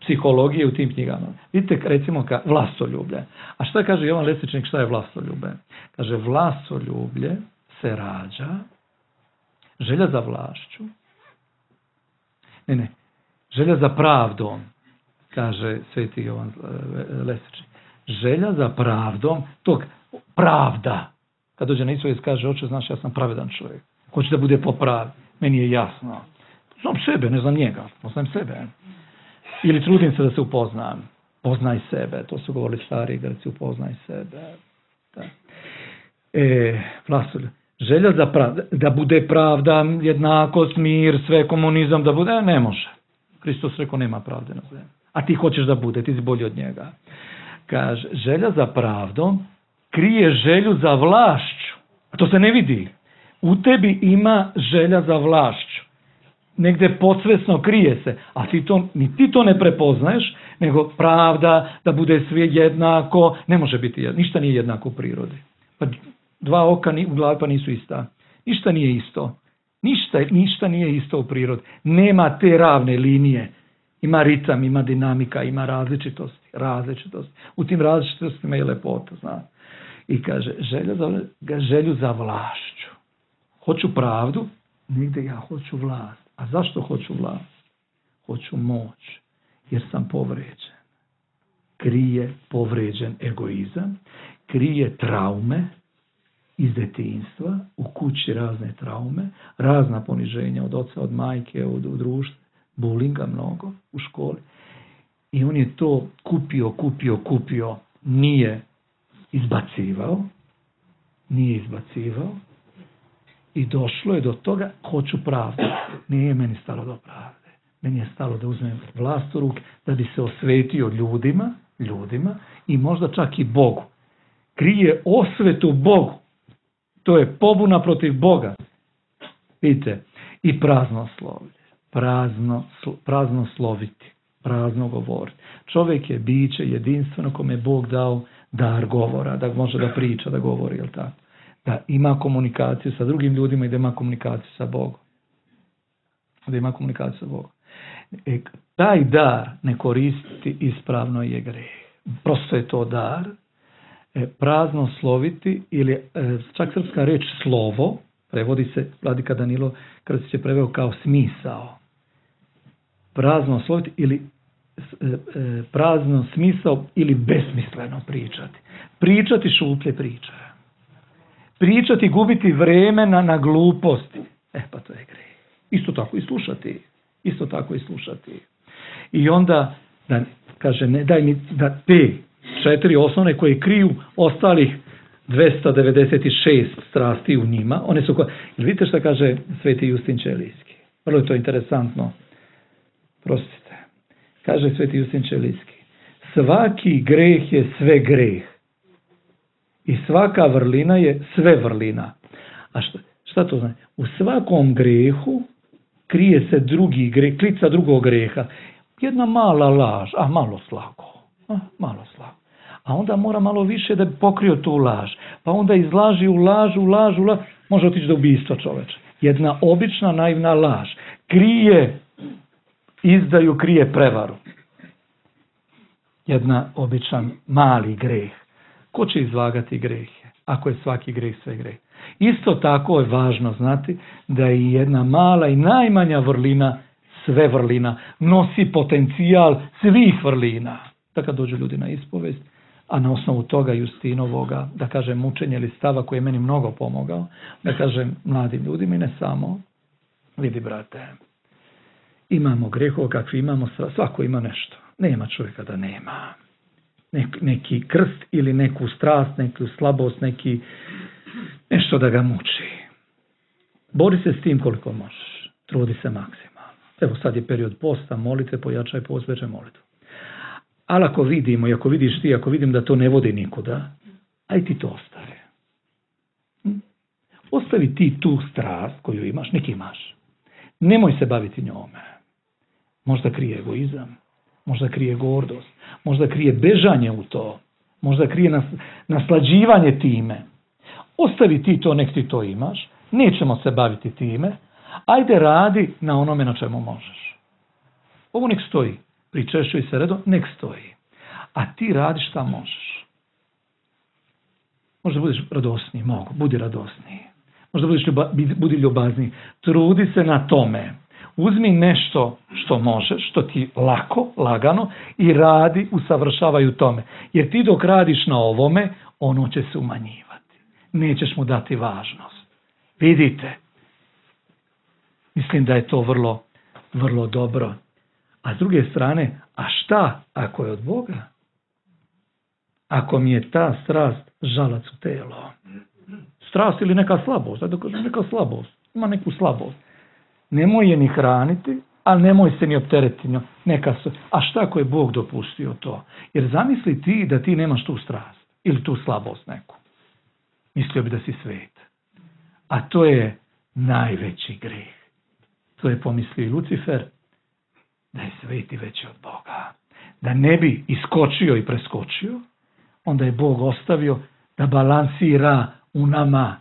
psihologije u tim knjigama. Vidite, recimo, vlastoljublje. A šta kaže Jovan Lestvičnik, šta je vlastoljublje? Kaže, vlastoljublje se rađa, želja za vlašću, želja za pravdom, kaže Sveti Jovan Lestvičnik. Želja za pravdom, tog pravda. Kad dođe na ispovijest, kaže, oče, znaš, ja sam pravedan čovjek. Hoće da bude po pravi. Meni je jasno. Znam sebe, ne znam njega. Poznajem sebe. Ili trudim se da se upoznam. Poznaj sebe. To su govorili stari Grci, upoznaj sebe. Da. Želja da bude pravda, jednakost, mir, sve, komunizam, da bude, ne može. Hristos rekao, nema pravde na zemlji. A ti hoćeš da bude, ti si bolji od njega. Kaže, želja za pravdom krije želju za vlašću. A to se ne vidi. U tebi ima želja za vlašću. Negde podsvesno krije se. A ni ti to ne prepoznaješ, nego pravda, da bude sve jednako. Ne može biti jednako. Ništa nije jednako u prirodi. Pa dva oka u glavi pa nisu ista. Ništa nije isto. Ništa nije isto u prirodi. Nema te ravne linije. Ima ritam, ima dinamika, ima različitosti. U tim različitostima je lepota, zna. I kaže, želju za vlašću. Hoću pravdu, nigde ja hoću vlast. A zašto hoću vlast? Hoću moć, jer sam povređen. Krije povređen egoizam, krije traume iz detinjstva, u kući razne traume, razna poniženja od oca, od majke, od društva, bulinga mnogo u školi. I on je to kupio, nije izbacivao i došlo je do toga, hoću pravdu. Nije meni stalo do pravde. Meni je stalo da uzmem vlast u ruke, da bi se osvetio ljudima i možda čak i Bogu. Krije osvetu Bogu. To je pobuna protiv Boga. Vidite, i prazno sloviti, prazno govoriti. Čovjek je biće jedinstveno kome je Bog dao dar govora, da može da priča, da govori, jel tako? Da ima komunikaciju sa drugim ljudima i da ima komunikaciju sa Bogom. Taj dar ne koristiti ispravno je greh. Prosto je to dar. Prazno sloviti ili čak srpska reč slovo, prevodi se, Vladika Danilo Krstić je preveo kao smisao. Prazno sloviti ili prazno smisao ili besmisleno pričati. Pričati šuplje priče. Pričati, gubiti vremena na gluposti. Pa to je greh. Isto tako i slušati. I onda kaže, ne daj mi da te 4 osnovne koje kriju ostalih 296 strasti u njima, one su vidite šta kaže Sveti Justin Ćelijski. Vrlo je to interesantno. Prostite. Kaže Sveti Justin Ćelijski. Svaki greh je sve greh. I svaka vrlina je sve vrlina. A šta to znači? U svakom grehu krije se drugi greh, klica drugog greha. Jedna mala laž, malo slago. A onda mora malo više da bi pokrio tu laž. Pa onda izlaži u laž, može otići do ubistva čoveče. Jedna obična naivna laž. Krije izdaju, krije prevaru. Jedna običan mali greh. Ko će izvagati grehe, ako je svaki greh sve greh? Isto tako je važno znati da je jedna mala i najmanja vrlina, sve vrlina, nosi potencijal svih vrlina. Da kad dođu ljudi na ispovest, a na osnovu toga Justinovoga, da kažem, mučenja ili stava koji je meni mnogo pomogao, da kažem mladim ljudima i ne samo, vidi brate, imamo grehova kakvi imamo, svako ima nešto. Nema čovjeka da nema. Neki krst ili neku strast, neku slabost, nešto da ga muči. Bori se s tim koliko možeš. Trudi se maksimalno. Evo sad je period posta, molite, pojačaj post, veže molitvu. Ali ako vidimo i ako vidiš ti, ako vidim da to ne vodi nikuda, aj ti to ostavi. Ostavi ti tu strast koju imaš, neki imaš. Nemoj se baviti njome. Možda krije egoizam, možda krije gordost, možda krije bežanje u to, možda krije naslađivanje time. Ostavi ti to, nek ti to imaš, nećemo se baviti time, ajde radi na onome na čemu možeš. Ovo nek stoji, pričešćuj se redom, nek stoji. A ti radi šta možeš. Možda budeš radosniji, budi radosniji. Možda budi ljubazniji. Trudi se na tome. Uzmi nešto što možeš, što ti lagano i radi, usavršavaj u tome. Jer ti dok radiš na ovome, ono će se umanjivati. Nećeš mu dati važnost. Vidite. Mislim da je to vrlo, vrlo dobro. A s druge strane, a šta ako je od Boga? Ako mi je ta strast žalac u telo? Strast ili neka slabost, da kažem neka slabost, ima neku slabost. Nemoj je ni hraniti, ali nemoj se ni opteretiti. A šta ako je Bog dopustio to? Jer zamisli ti da ti nemaš tu strast ili tu slabost neku. Mislio bi da si svet. A to je najveći greh. To je pomislio i Lucifer, da je svet i veći od Boga. Da ne bi iskočio i preskočio, onda je Bog ostavio da balansira u nama.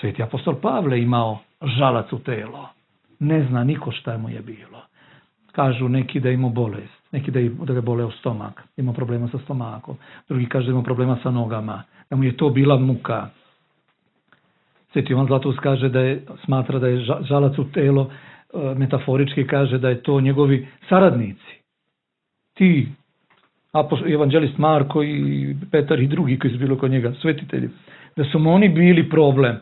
Sveti apostol Pavle imao žalac u telo. Ne zna niko šta mu je bilo. Kažu neki da ima bolest, neki da ga boleo stomak, ima problema sa stomakom, drugi kaže da ima problema sa nogama, da mu je to bila muka. Sveti Jovan Zlatoust kaže smatra da je žalac u telo, metaforički kaže da je to njegovi saradnici. Ti, evanđelist Marko i Petar i drugi koji su bili kod njega, svetitelji, da su mu oni bili problem.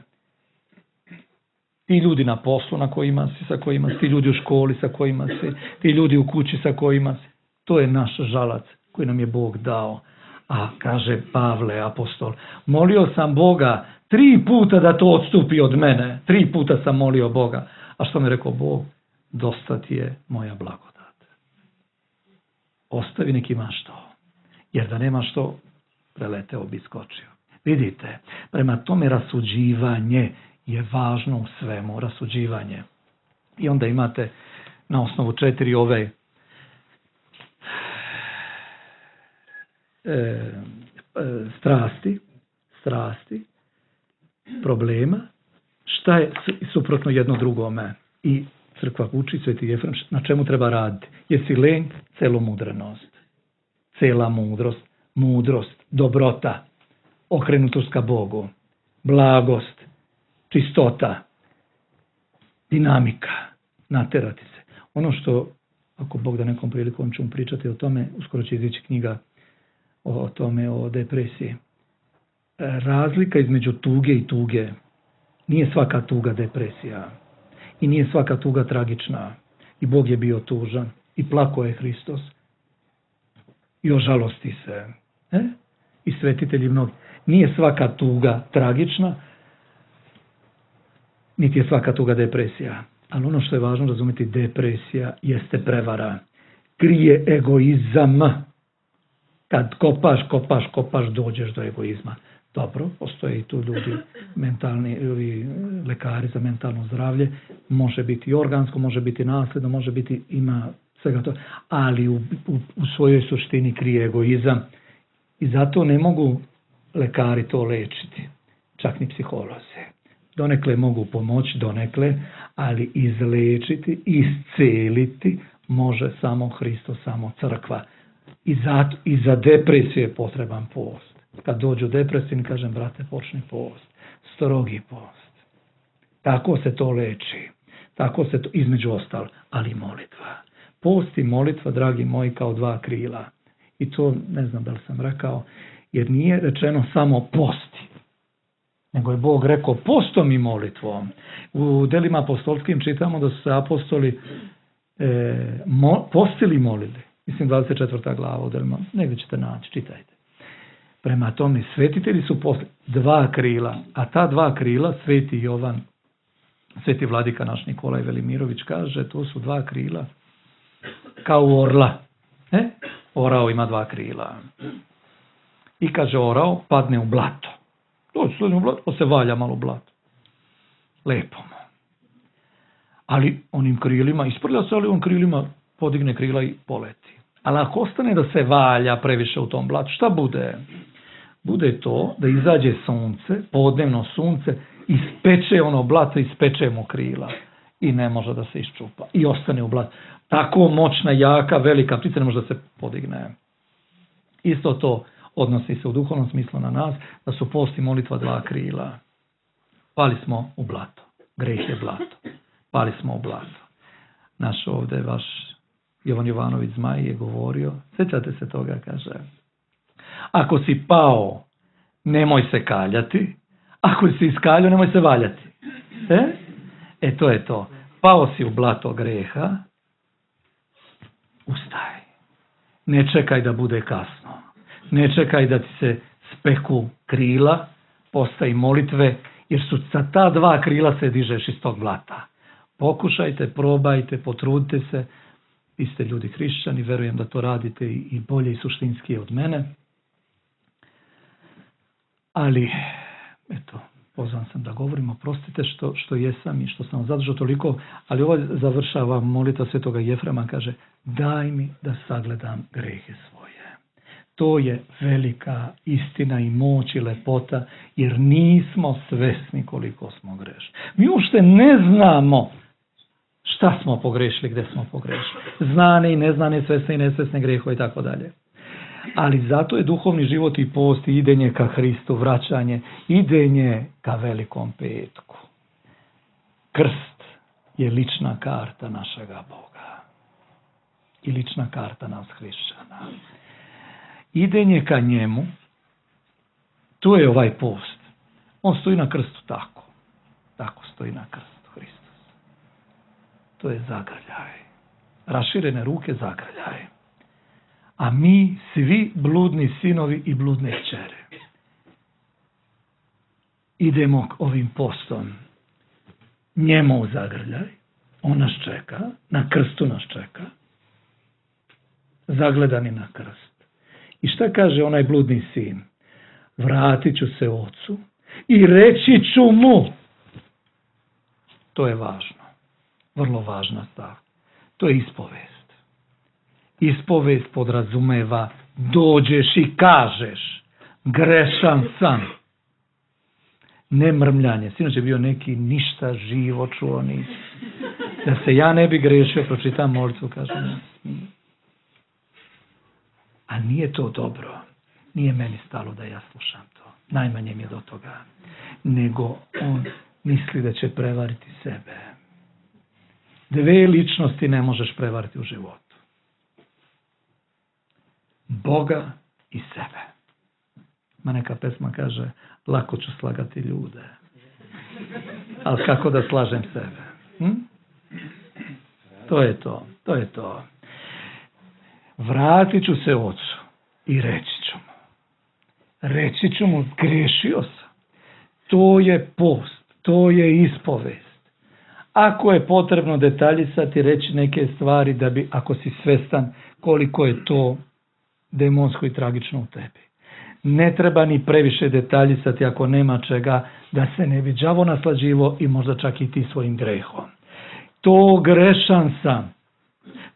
Ti ljudi na poslu na kojima si, sa kojima si, ti ljudi u školi sa kojima si, ti ljudi u kući sa kojima si. To je naš žalac koji nam je Bog dao. A kaže Pavle apostol, molio sam Boga 3 puta da to odstupi od mene. 3 puta sam molio Boga. A što mi rekao Bog? Dosta ti je moja blagodat. Ostavi nek imaš to. Jer da nemaš to, preleteo bi skočio. Vidite, prema tome rasuđivanje je važno u svemu, rasuđivanje. I onda imate na osnovu 4 ove strasti, problema, šta je suprotno jedno drugome. I crkva uči, Sveti Jefrem, na čemu treba raditi. Jesi lenj, celomudrenost. Cela mudrost, dobrota, okrenutost ka Bogu, blagost, čistota, dinamika, naterati se. Ono što, ako Bog da nekom prilikom ćemo pričati o tome, uskoro će izići knjiga o tome, o depresiji. Razlika između tuge i tuge. Nije svaka tuga depresija. I nije svaka tuga tragična. I Bog je bio tužan. I plakao je Hristos. I ožalosti se. I svetitelji mnogi. Nije svaka tuga tragična, niti je svaka tuga depresija. Ali ono što je važno razumjeti, depresija jeste prevara. Krije egoizam. Kad kopaš, dođeš do egoizma. Dobro, postoje i tu ljudi, lekari za mentalno zdravlje, može biti organsko, može biti nasljedno, može biti, ima svega to, ali u svojoj suštini krije egoizam. I zato ne mogu lekari to lečiti, čak ni psiholozi. Donekle mogu pomoći, ali izlečiti, isceliti može samo Hristos, samo crkva. I za depresiju je potreban post. Kad dođu depresivni, kažem, brate, počni post. Strogi post. Tako se to leči. Tako se to, između ostalo, ali molitva. Post i molitva, dragi moji, kao 2 krila. I to, ne znam da li sam rekao, jer nije rečeno samo posti. Nego je Bog rekao postom i molitvom. U delima apostolskim čitamo da su se apostoli postili i molili. Mislim 24. glava u delima. Negdje ćete naći, čitajte. Prema tome, svetitelji su postili 2 krila. A ta 2 krila, Sveti Jovan, Sveti vladika naš Nikolaj Velimirović kaže, to su 2 krila kao orla. Orao ima 2 krila. I kaže, orao padne u blato. Dođe u blato, pa se valja malo u blato. Lepo mu. Ali onim krilima, isprlja se, ali on krilima podigne krila i poleti. Ali ako ostane da se valja previše u tom blatu, šta bude? Bude to da izađe sunce, podnevno sunce, ispeče ono blato, ispeče mu krila. I ne može da se iščupa. I ostane u blatu. Tako moćna, jaka, velika ptica ne može da se podigne. Isto to odnosi se u duhovnom smislu na nas, da su post i molitva 2 krila. Pali smo u blato. Greh je blato. Pali smo u blato. Naš ovdje, vaš Jovan Jovanović Zmaj je govorio, sjećate se toga, kaže, ako si pao, nemoj se kaljati, ako si iskaljao, nemoj se valjati. To je to. Pao si u blato greha, ustaj. Ne čekaj da bude kasno. Ne čekaj da ti se speku krila, posta i molitve, jer su sa ta dva krila se dižeš iz tog blata. Pokušajte, probajte, potrudite se. Vi ste ljudi hrišćani, verujem da to radite i bolje i suštinski od mene. Ali, eto, pozvan sam da govorim, oprostite što jesam i što sam zadržao toliko, ali ovo završava molitva Svetoga Jefrema, kaže, daj mi da sagledam grehe svoje. To je velika istina i moć i lepota, jer nismo svesni koliko smo grešni. Mi uopšte ne znamo šta smo pogrešili, gde smo pogrešili. Znane i neznane, svesne i nesvesne grehove i tako dalje. Ali zato je duhovni život i post, idenje ka Hristu, vraćanje, idenje ka Velikom petku. Krst je lična karta našega Boga i lična karta nas hrišćana. Idenje ka njemu, to je ovaj post. On stoji na krstu tako. Tako stoji na krstu Hristos. To je zagrljaj. Raširene ruke zagrljaj. A mi svi bludni sinovi i bludne kćere idemo ovim postom njemu u zagrljaj. On nas čeka, na krstu nas čeka, zagledani na krst. I šta kaže onaj bludni sin? Vratit ću se ocu i reći ću mu. To je važno, vrlo važna stav. To je ispovest. Ispovest podrazumeva dođeš i kažeš grešan sam. Ne mrmljanje. Sinoć je bio neki ništa živo čuo nisi. Da se ja ne bi grešio, pročitam molitvu, kažem. A nije to dobro. Nije meni stalo da ja slušam to. Najmanje mi je do toga. Nego on misli da će prevariti sebe. Dve ličnosti ne možeš prevariti u životu. Boga i sebe. Ma neka pesma kaže, lako ću slagati ljude. Ali kako da slažem sebe? To je to. To je to. Vratit ću se ocu i reći ću mu. Reći ću mu, grešio sam. To je post, to je ispovest. Ako je potrebno detaljisati, reći neke stvari da bi, ako si svestan koliko je to demonsko i tragično u tebi. Ne treba ni previše detaljisati ako nema čega, da se ne bi đavo naslađivo i možda čak i ti svojim grehom. To grešan sam.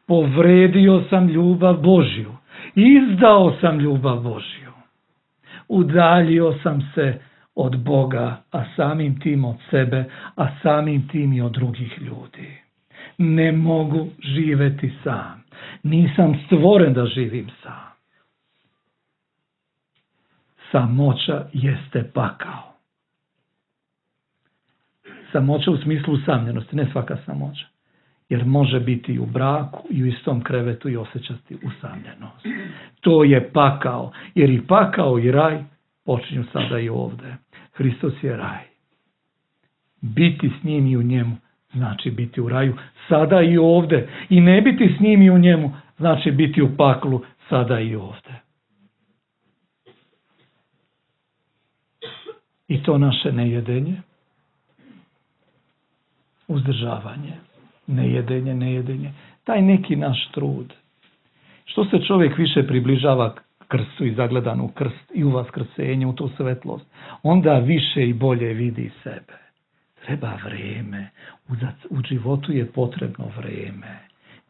Povredio sam ljubav Božju. Izdao sam ljubav Božju. Udaljio sam se od Boga, a samim tim od sebe, a samim tim i od drugih ljudi. Ne mogu živeti sam. Nisam stvoren da živim sam. Samoća jeste pakao. Samoća u smislu usamljenosti, ne svaka samoća. Jer može biti i u braku i u istom krevetu i osjećati usamljenost. To je pakao, jer i pakao i raj počinju sada i ovdje. Hristos je raj. Biti s njim i u njemu znači biti u raju sada i ovdje. I ne biti s njim i u njemu znači biti u paklu sada i ovdje. I to naše nejedenje, uzdržavanje, nejedenje, taj neki naš trud. Što se čovjek više približava krstu i zagledan u krst i u vaskrsenje, u tu svetlost, onda više i bolje vidi sebe. Treba vreme. U životu je potrebno vreme.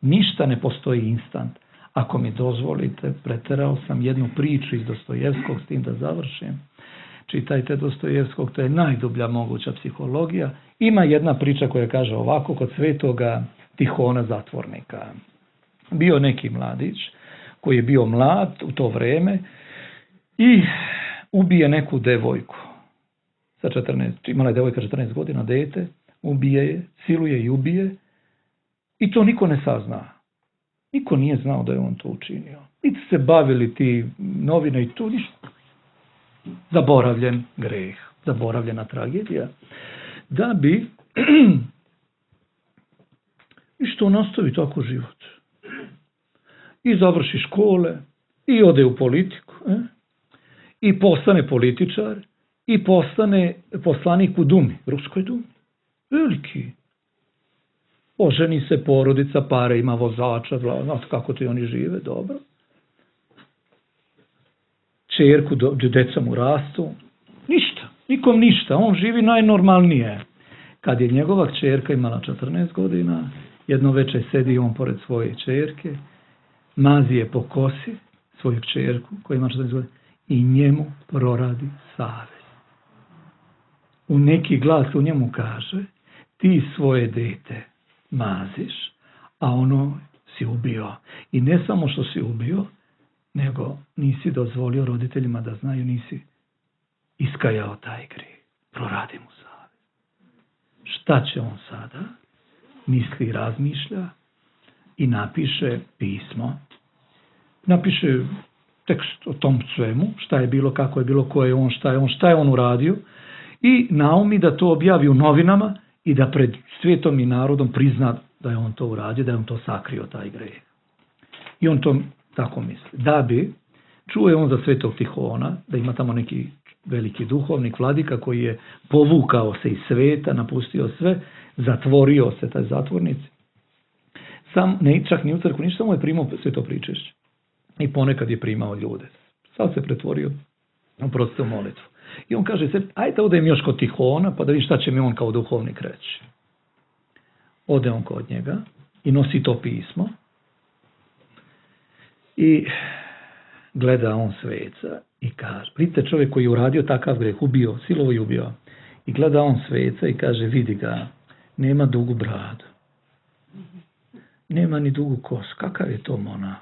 Ništa ne postoji instant. Ako mi dozvolite, preterao sam jednu priču iz Dostojevskog, s tim da završim. Čitajte Dostojevskog, to je najdublja moguća psihologija. Ima jedna priča koja kaže ovako, kod svetoga Tihona zatvornika. Bio neki mladić koji je bio mlad u to vreme i ubije neku devojku. Imala je devojka 14 godina, dete, ubije je, siluje i ubije i to niko ne sazna. Niko nije znao da je on to učinio. Niti se bavili ti novine i tu ništa. Zaboravljen greh, zaboravljena tragedija. Da bi i što nastavi tako život. I završi škole, i ode u politiku, i postane političar, i postane poslanik u Dumi, ruskoj Dumi. Veliki. Oženi se, porodica, pare, ima vozača, znate kako ti oni žive, dobro. Čerku, deca mu rastu. Ništa, nikom ništa, on živi najnormalnije. Kad je njegova kćerka imala 14 godina, jedno večer sedi on pored svoje čerke, mazi je po kosi svoju kćerku koja ima 14 godina i njemu proradi savest. U neki glas u njemu kaže, ti svoje dete maziš, a ono si ubio. I ne samo što si ubio, nego nisi dozvolio roditeljima da znaju, nisi iskajao taj grijeh. Proradi mu savest. Šta će on sada? Misli, razmišlja i napiše pismo. Napiše tekst o tom svemu, šta je bilo, kako je bilo, ko je on, šta je on uradio i naumi da to objavi u novinama i da pred svijetom i narodom prizna da je on to uradio, da je on to sakrio, taj grijeh. I on to tako misli. Da bi, čuje on za svetog Tihona, da ima tamo neki veliki duhovnik, vladika koji je povukao se iz sveta, napustio sve, zatvorio se taj zatvornici. Sam, ne, čak ni u crkvu, ništa, samo je primao sve to pričešće. I ponekad je primao ljude. Sad se pretvorio u prostu molitvu. I on kaže se, ajde odem još kod Tihona, pa da vidim šta će mi on kao duhovnik reći. Ode on kod njega i nosi to pismo. I gleda on sveca i kaže, vidite čovjek koji je uradio takav greh, ubio, silovo je ubio. I gleda on sveca i kaže, vidi ga, nema dugu bradu. Nema ni dugu kosu. Kakav je to monah?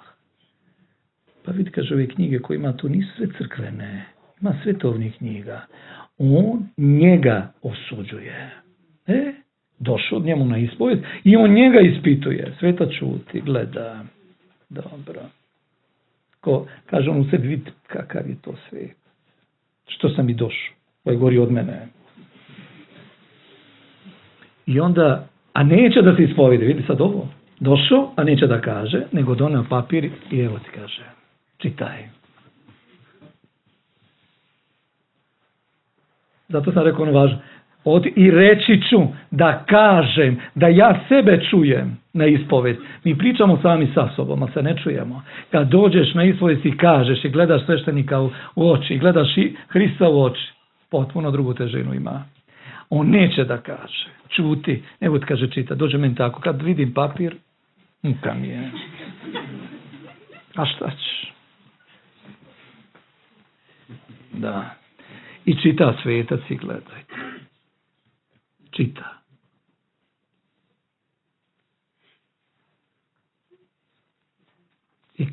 Pa vidi, kaže, ove knjige koje ima tu nisu sve crkvene. Ima svetovnih knjiga. On njega osuđuje. Došao od njemu na ispovjed i on njega ispituje. Sveta čuti, gleda. Dobro. Kaže on u sebi, vidi kakav je to svijet. Što sam i došao. Ovo je gori od mene. I onda, a neće da se ispovjede, vidi sad ovo. Došao, a neće da kaže, nego doneo papir i evo ti kaže, čitaj. Zato sam rekao ono važno. I reći ću da kažem, da ja sebe čujem na ispoved. Mi pričamo sami sa sobom, ali se ne čujemo. Kad dođeš na ispoved i kažeš i gledaš sveštenika u oči, i gledaš i Hrista u oči, potpuno drugu težinu ima. On neće da kaže, čuti, evo ti kaže čita, dođe meni tako, kad vidim papir, muka mi je. A šta ćeš? Da. I čita svetac i gledajte. Čita. I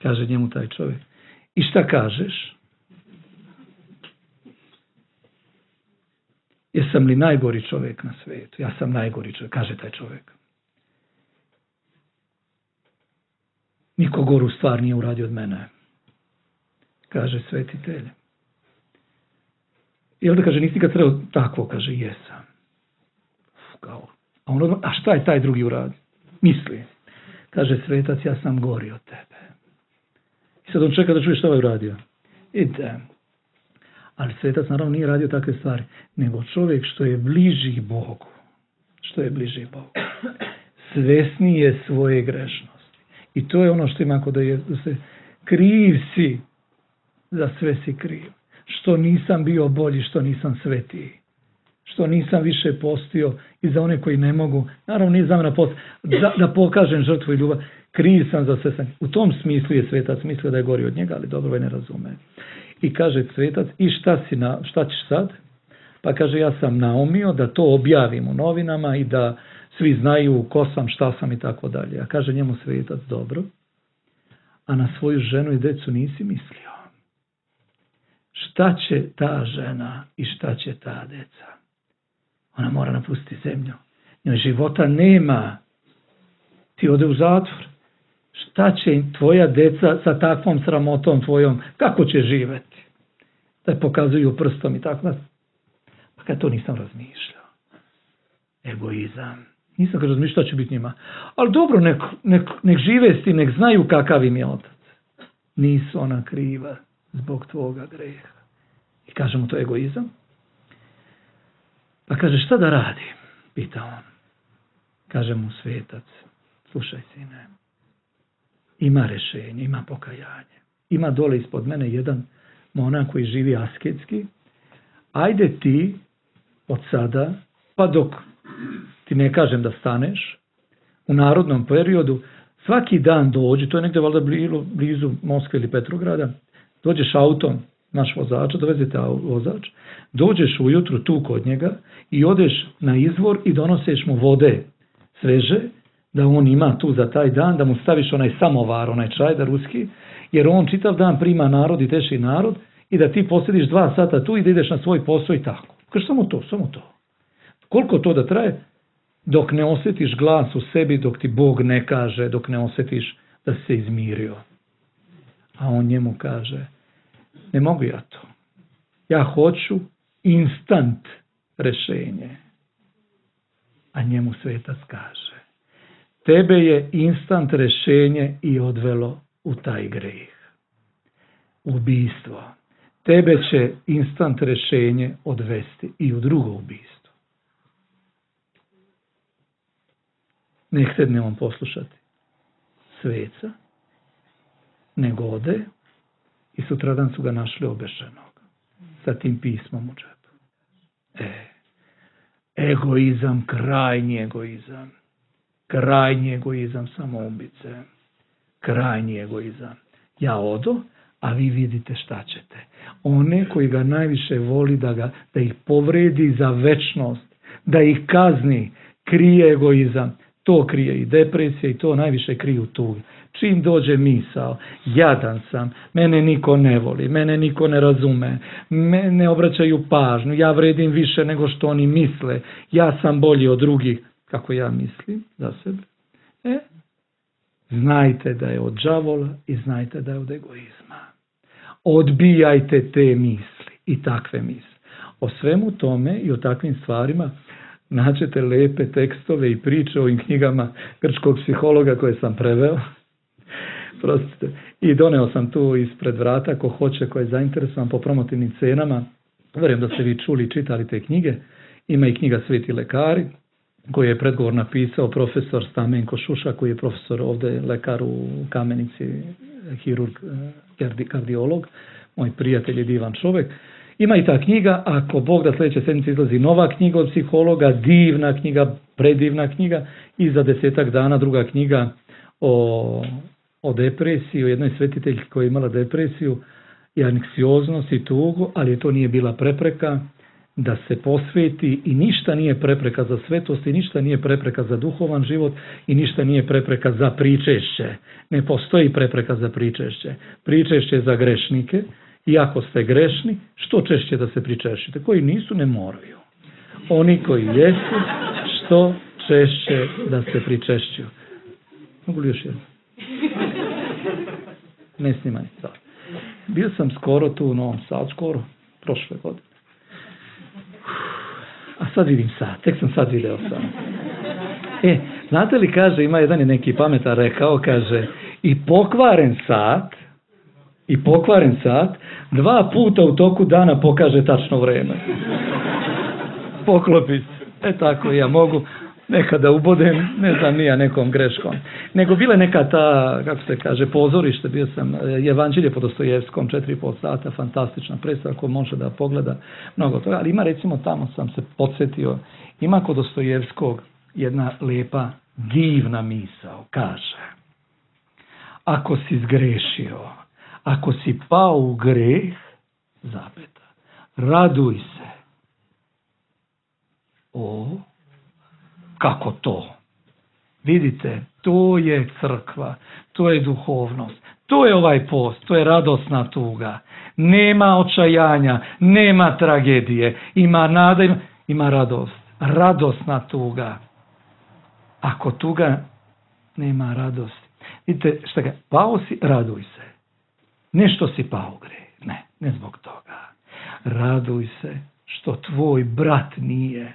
kaže njemu taj čovjek, i šta kažeš? Jesam li najgori čovjek na svijetu? Ja sam najgori čovjek, kaže taj čovjek. Niko goru stvar nije uradio od mene. Kaže svetitelj. I onda kaže, nisi ga trebao takvo, kaže, jesam. A šta je taj drugi uradio? Misli. Kaže svetac, ja sam gori od tebe. I sad on čeka da čuje šta je uradio. Idem. Ali svetac naravno nije radio takve stvari, nego čovjek što je bliži Bogu. Što je bliži Bogu. Svesni je svoje grešnosti. I to je ono što ima kod da se kriv si, za sve si kriv. Što nisam bio bolji, što nisam svetiji. Što nisam više postio i za one koji ne mogu. Naravno nije za mene da pokažem žrtvu i ljubav. Kriv sam za sve sam. U tom smislu je svetac mislio da je gori od njega, ali dobro ne razume. I kaže svetac, i šta ćeš sad? Pa kaže, ja sam naumio da to objavim u novinama i da svi znaju ko sam, šta sam i tako dalje. A kaže njemu svetac, dobro, a na svoju ženu i decu nisi mislio. Šta će ta žena i šta će ta deca? Ona mora napustiti zemlju. Njoj života nema. Ti ode u zatvor. Šta će tvoja deca sa takvom sramotom tvojom? Kako će živjeti? Da je pokazuju prstom i tako. Pa kad to nisam razmišljao. Egoizam. Nisam kad razmišljao šta će biti njima. Ali dobro, nek žive s tim, nek znaju kakav im je otac. Nisu ona kriva zbog tvoga greha. I kaže mu to egoizam. Pa kaže, šta da radi? Pita on. Kaže mu svetac, slušaj sine, ima rješenje, ima pokajanje. Ima dole ispod mene jedan monak koji živi asketski. Ajde ti od sada, pa dok ti ne kažem da staneš, u narodnom periodu, svaki dan dođi, to je negdje valjda blizu Moskve ili Petrograda, dođeš autom, naš vozača, dovezete vozač, dođeš ujutru tu kod njega i odeš na izvor i donoseš mu vode sveže, da on ima tu za taj dan, da mu staviš onaj samovar, onaj čaj da ruski, jer on čitav dan prima narod i teši narod i da ti posjediš 2 sata tu i da ideš na svoj posao i tako. Kaže, samo to. Koliko to da traje? Dok ne osjetiš glas u sebi, dok ti Bog ne kaže, dok ne osjetiš da si se izmirio. A on njemu kaže, ne mogu ja to. Ja hoću instant rješenje. A njemu svetac kaže, tebe je instant rješenje i odvelo u taj greh. Ubijstvo. Tebe će instant rješenje odvesti i u drugo ubijstvo. Ne htedne on poslušati sveca, nego ode i sutradan su ga našli obešenog sa tim pismom u džepu. Egoizam, krajnji egoizam samoubice, krajnji egoizam. Ja odo, a vi vidite šta ćete. One koji ga najviše voli da ih povredi za večnost, da ih kazni, krije egoizam. To krije i depresija i to najviše kriju tuge. Čim dođe misao, jadan sam, mene niko ne voli, mene niko ne razume, mene ne obraćaju pažnju, ja vredim više nego što oni misle, ja sam bolji od drugih, kako ja mislim za sebe. Znajte da je od đavola i znajte da je od egoizma. Odbijajte te misli i takve misli. O svemu tome i o takvim stvarima naćete lepe tekstove i priče o ovim knjigama grčkog psihologa koje sam preveo. Prostite. I doneo sam tu ispred vrata, ko hoće, ko je zainteresovan po promotivnim cenama. Vjerujem da ste vi čuli i čitali te knjige. Ima i knjiga Sveti lekari, koju je predgovor napisao profesor Stamenko Šuša, koji je profesor ovdje, lekar u Kamenici, hirurg, kardiolog. Moj prijatelj je divan čovjek. Ima i ta knjiga, ako Bog da sljedeće sedmice izlazi nova knjiga od psihologa, divna knjiga, predivna knjiga, i za 10 dana druga knjiga o depresiji, o jednoj svetiteljki koja je imala depresiju i anksioznost i tugu, ali to nije bila prepreka da se posveti i ništa nije prepreka za svetost i ništa nije prepreka za duhovan život i ništa nije prepreka za pričešće. Ne postoji prepreka za pričešće. Pričešće za grešnike. I ako ste grešni, što češće da se pričešćite. Koji nisu, ne moraju. Oni koji jesu, što češće da se pričešćuju. Mogu li još jedno? Ne snimaj sad. Bio sam skoro tu u Novom Sadu, prošle godine. A sad vidim sad, tek sam sad video sam. Znate li, kaže, ima jedan je neki pametan rekao, kaže, i pokvaren sat 2 puta u toku dana pokaže tačno vrijeme. Poklopi se. Tako ja mogu nekada ubodem, ne znam nija nekom greškom. Nego bila neka ta, kako se kaže, pozorište, bio sam Evanđelje po Dostojevskom, 4,5 sata, fantastična predstava, ko može da pogleda mnogo toga. Ali ima, recimo, tamo sam se podsjetio, ima kod Dostojevskog jedna lepa, divna misao, kaže, ako si zgrešio, ako si pao u greh, zapeta, raduj se. Kako to? Vidite, to je crkva, to je duhovnost, to je ovaj post, to je radosna tuga. Nema očajanja, nema tragedije, ima nada, ima radost. Radosna tuga. Ako tuga, nema radosti. Vidite, šta ga, pao si, raduj se. Nešto si pao u greh. Ne zbog toga. Raduj se što tvoj brat nije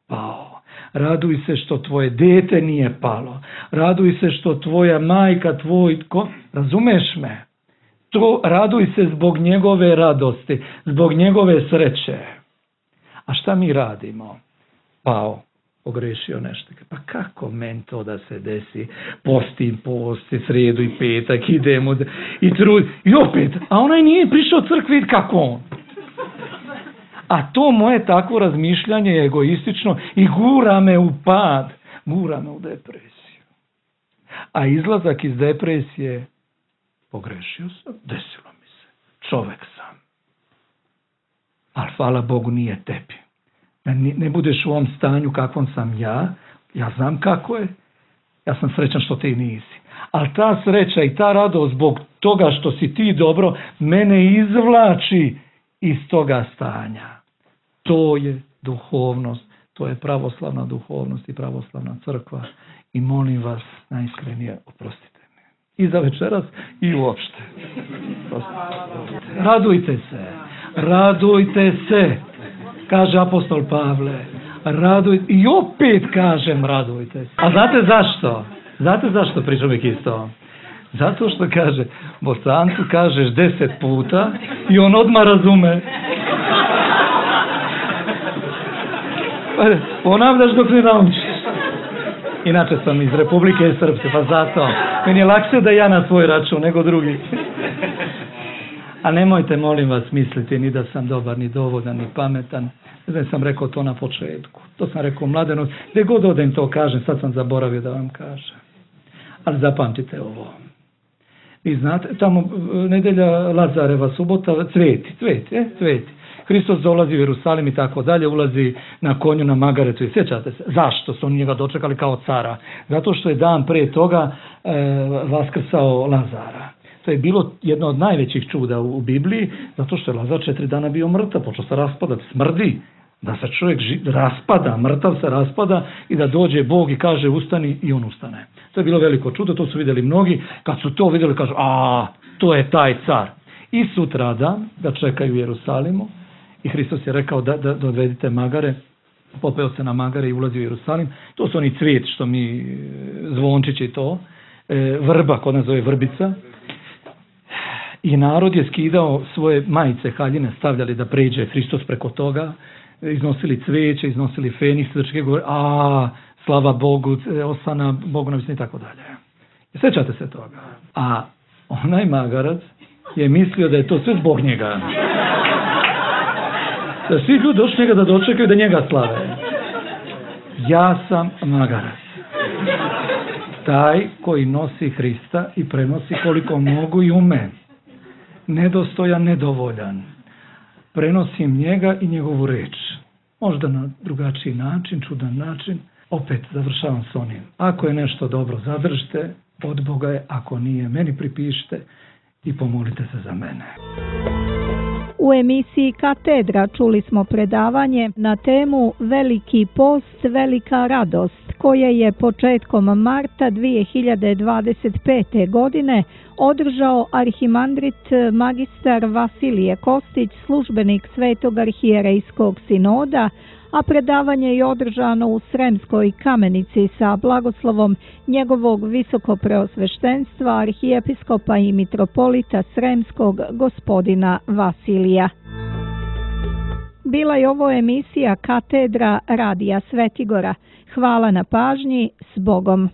pao. Raduj se što tvoje dete nije palo. Raduj se što tvoja majka, razumeš me? raduj se zbog njegove radosti, zbog njegove sreće. A šta mi radimo? Pao, pogrešio nešto. Pa kako meni to da se desi? Postim, sredu i petak, idemo i trud. I opet, a onaj nije prišao crkvi, kako on? A to moje takvo razmišljanje je egoistično i gura me u pad, gura me u depresiju. A izlazak iz depresije, pogrešio sam, desilo mi se, čovek sam. Ali hvala Bogu nije tebi. Ne budeš u ovom stanju kakvom sam ja znam kako je, ja sam srećan što ti nisi. Ali ta sreća i ta radost zbog toga što si ti dobro, mene izvlači iz toga stanja. To je duhovnost, to je pravoslavna duhovnost i pravoslavna crkva. I molim vas najiskrenije, oprostite me. I za večeras i uopšte. Radujte se, kaže apostol Pavle. I opet kažem radujte se. A znate zašto? Znate zašto pričam uvijek isto? Zato što kaže, Bosancu kažeš 10 puta i on odmah razume. Ponavljaš dok ne naučiš. Inače sam iz Republike Srpske, pa zato. Meni je lakše da ja na svoj račun nego drugi. A nemojte, molim vas, misliti ni da sam dobar, ni dovoljan, ni pametan. Ne znam, sam rekao to na početku. To sam rekao Mladenu. Gdje god odem to kažem, sad sam zaboravio da vam kažem. Ali zapamtite ovo. Vi znate, tamo nedelja Lazareva subota, cveti. Hristos dolazi u Jerusalim i tako dalje, ulazi na konju na magaretu i sjećate se. Zašto su oni njega dočekali kao cara? Zato što je dan prije toga vaskrsao Lazara. To je bilo jedno od najvećih čuda u Bibliji, zato što je Lazar 4 dana bio mrtav, počeo se raspadati, smrdi, da se čovjek raspada, mrtav se raspada i da dođe Bog i kaže ustani i on ustane. To je bilo veliko čudo, to su vidjeli mnogi, kad su to vidjeli kažu, to je taj car. I sutradan ga čekaju u Jerusalimu i Hristos je rekao da dovedite magare, popeo se na magare i ulazi u Jerusalim. To su oni cvijet što mi zvončići i to, vrba, kod nas zove vrbica. I narod je skidao svoje majice, haljine, stavljali da pređe Hristos preko toga, iznosili cvijeće, iznosili feniks, govori, slava Bogu, osana Bogu na visini i tako dalje. Sjećate se toga. A onaj magarac je mislio da je to sve zbog njega. Da svi ljudi došli njega da dočekaju da njega slave. Ja sam magarac. Taj koji nosi Hrista i prenosi koliko mogu i ume. Nedostojan, nedovoljan. Prenosim njega i njegovu reč. Možda na drugačiji način, čudan način. Opet završavam s onim. Ako je nešto dobro, zadržite, od Boga je. Ako nije, meni pripišite i pomolite se za mene. U emisiji Katedra čuli smo predavanje na temu Veliki post, velika radost, koje je početkom marta 2025. godine održao arhimandrit magistar Vasilije Kostić, službenik Svetog arhijerejskog sinoda, a predavanje je održano u Sremskoj Kamenici sa blagoslovom njegovog visokopreosveštenstva arhijepiskopa i mitropolita Sremskog gospodina Vasilija. Bila je ovo emisija Katedra Radija Svetigora. Hvala na pažnji, s Bogom.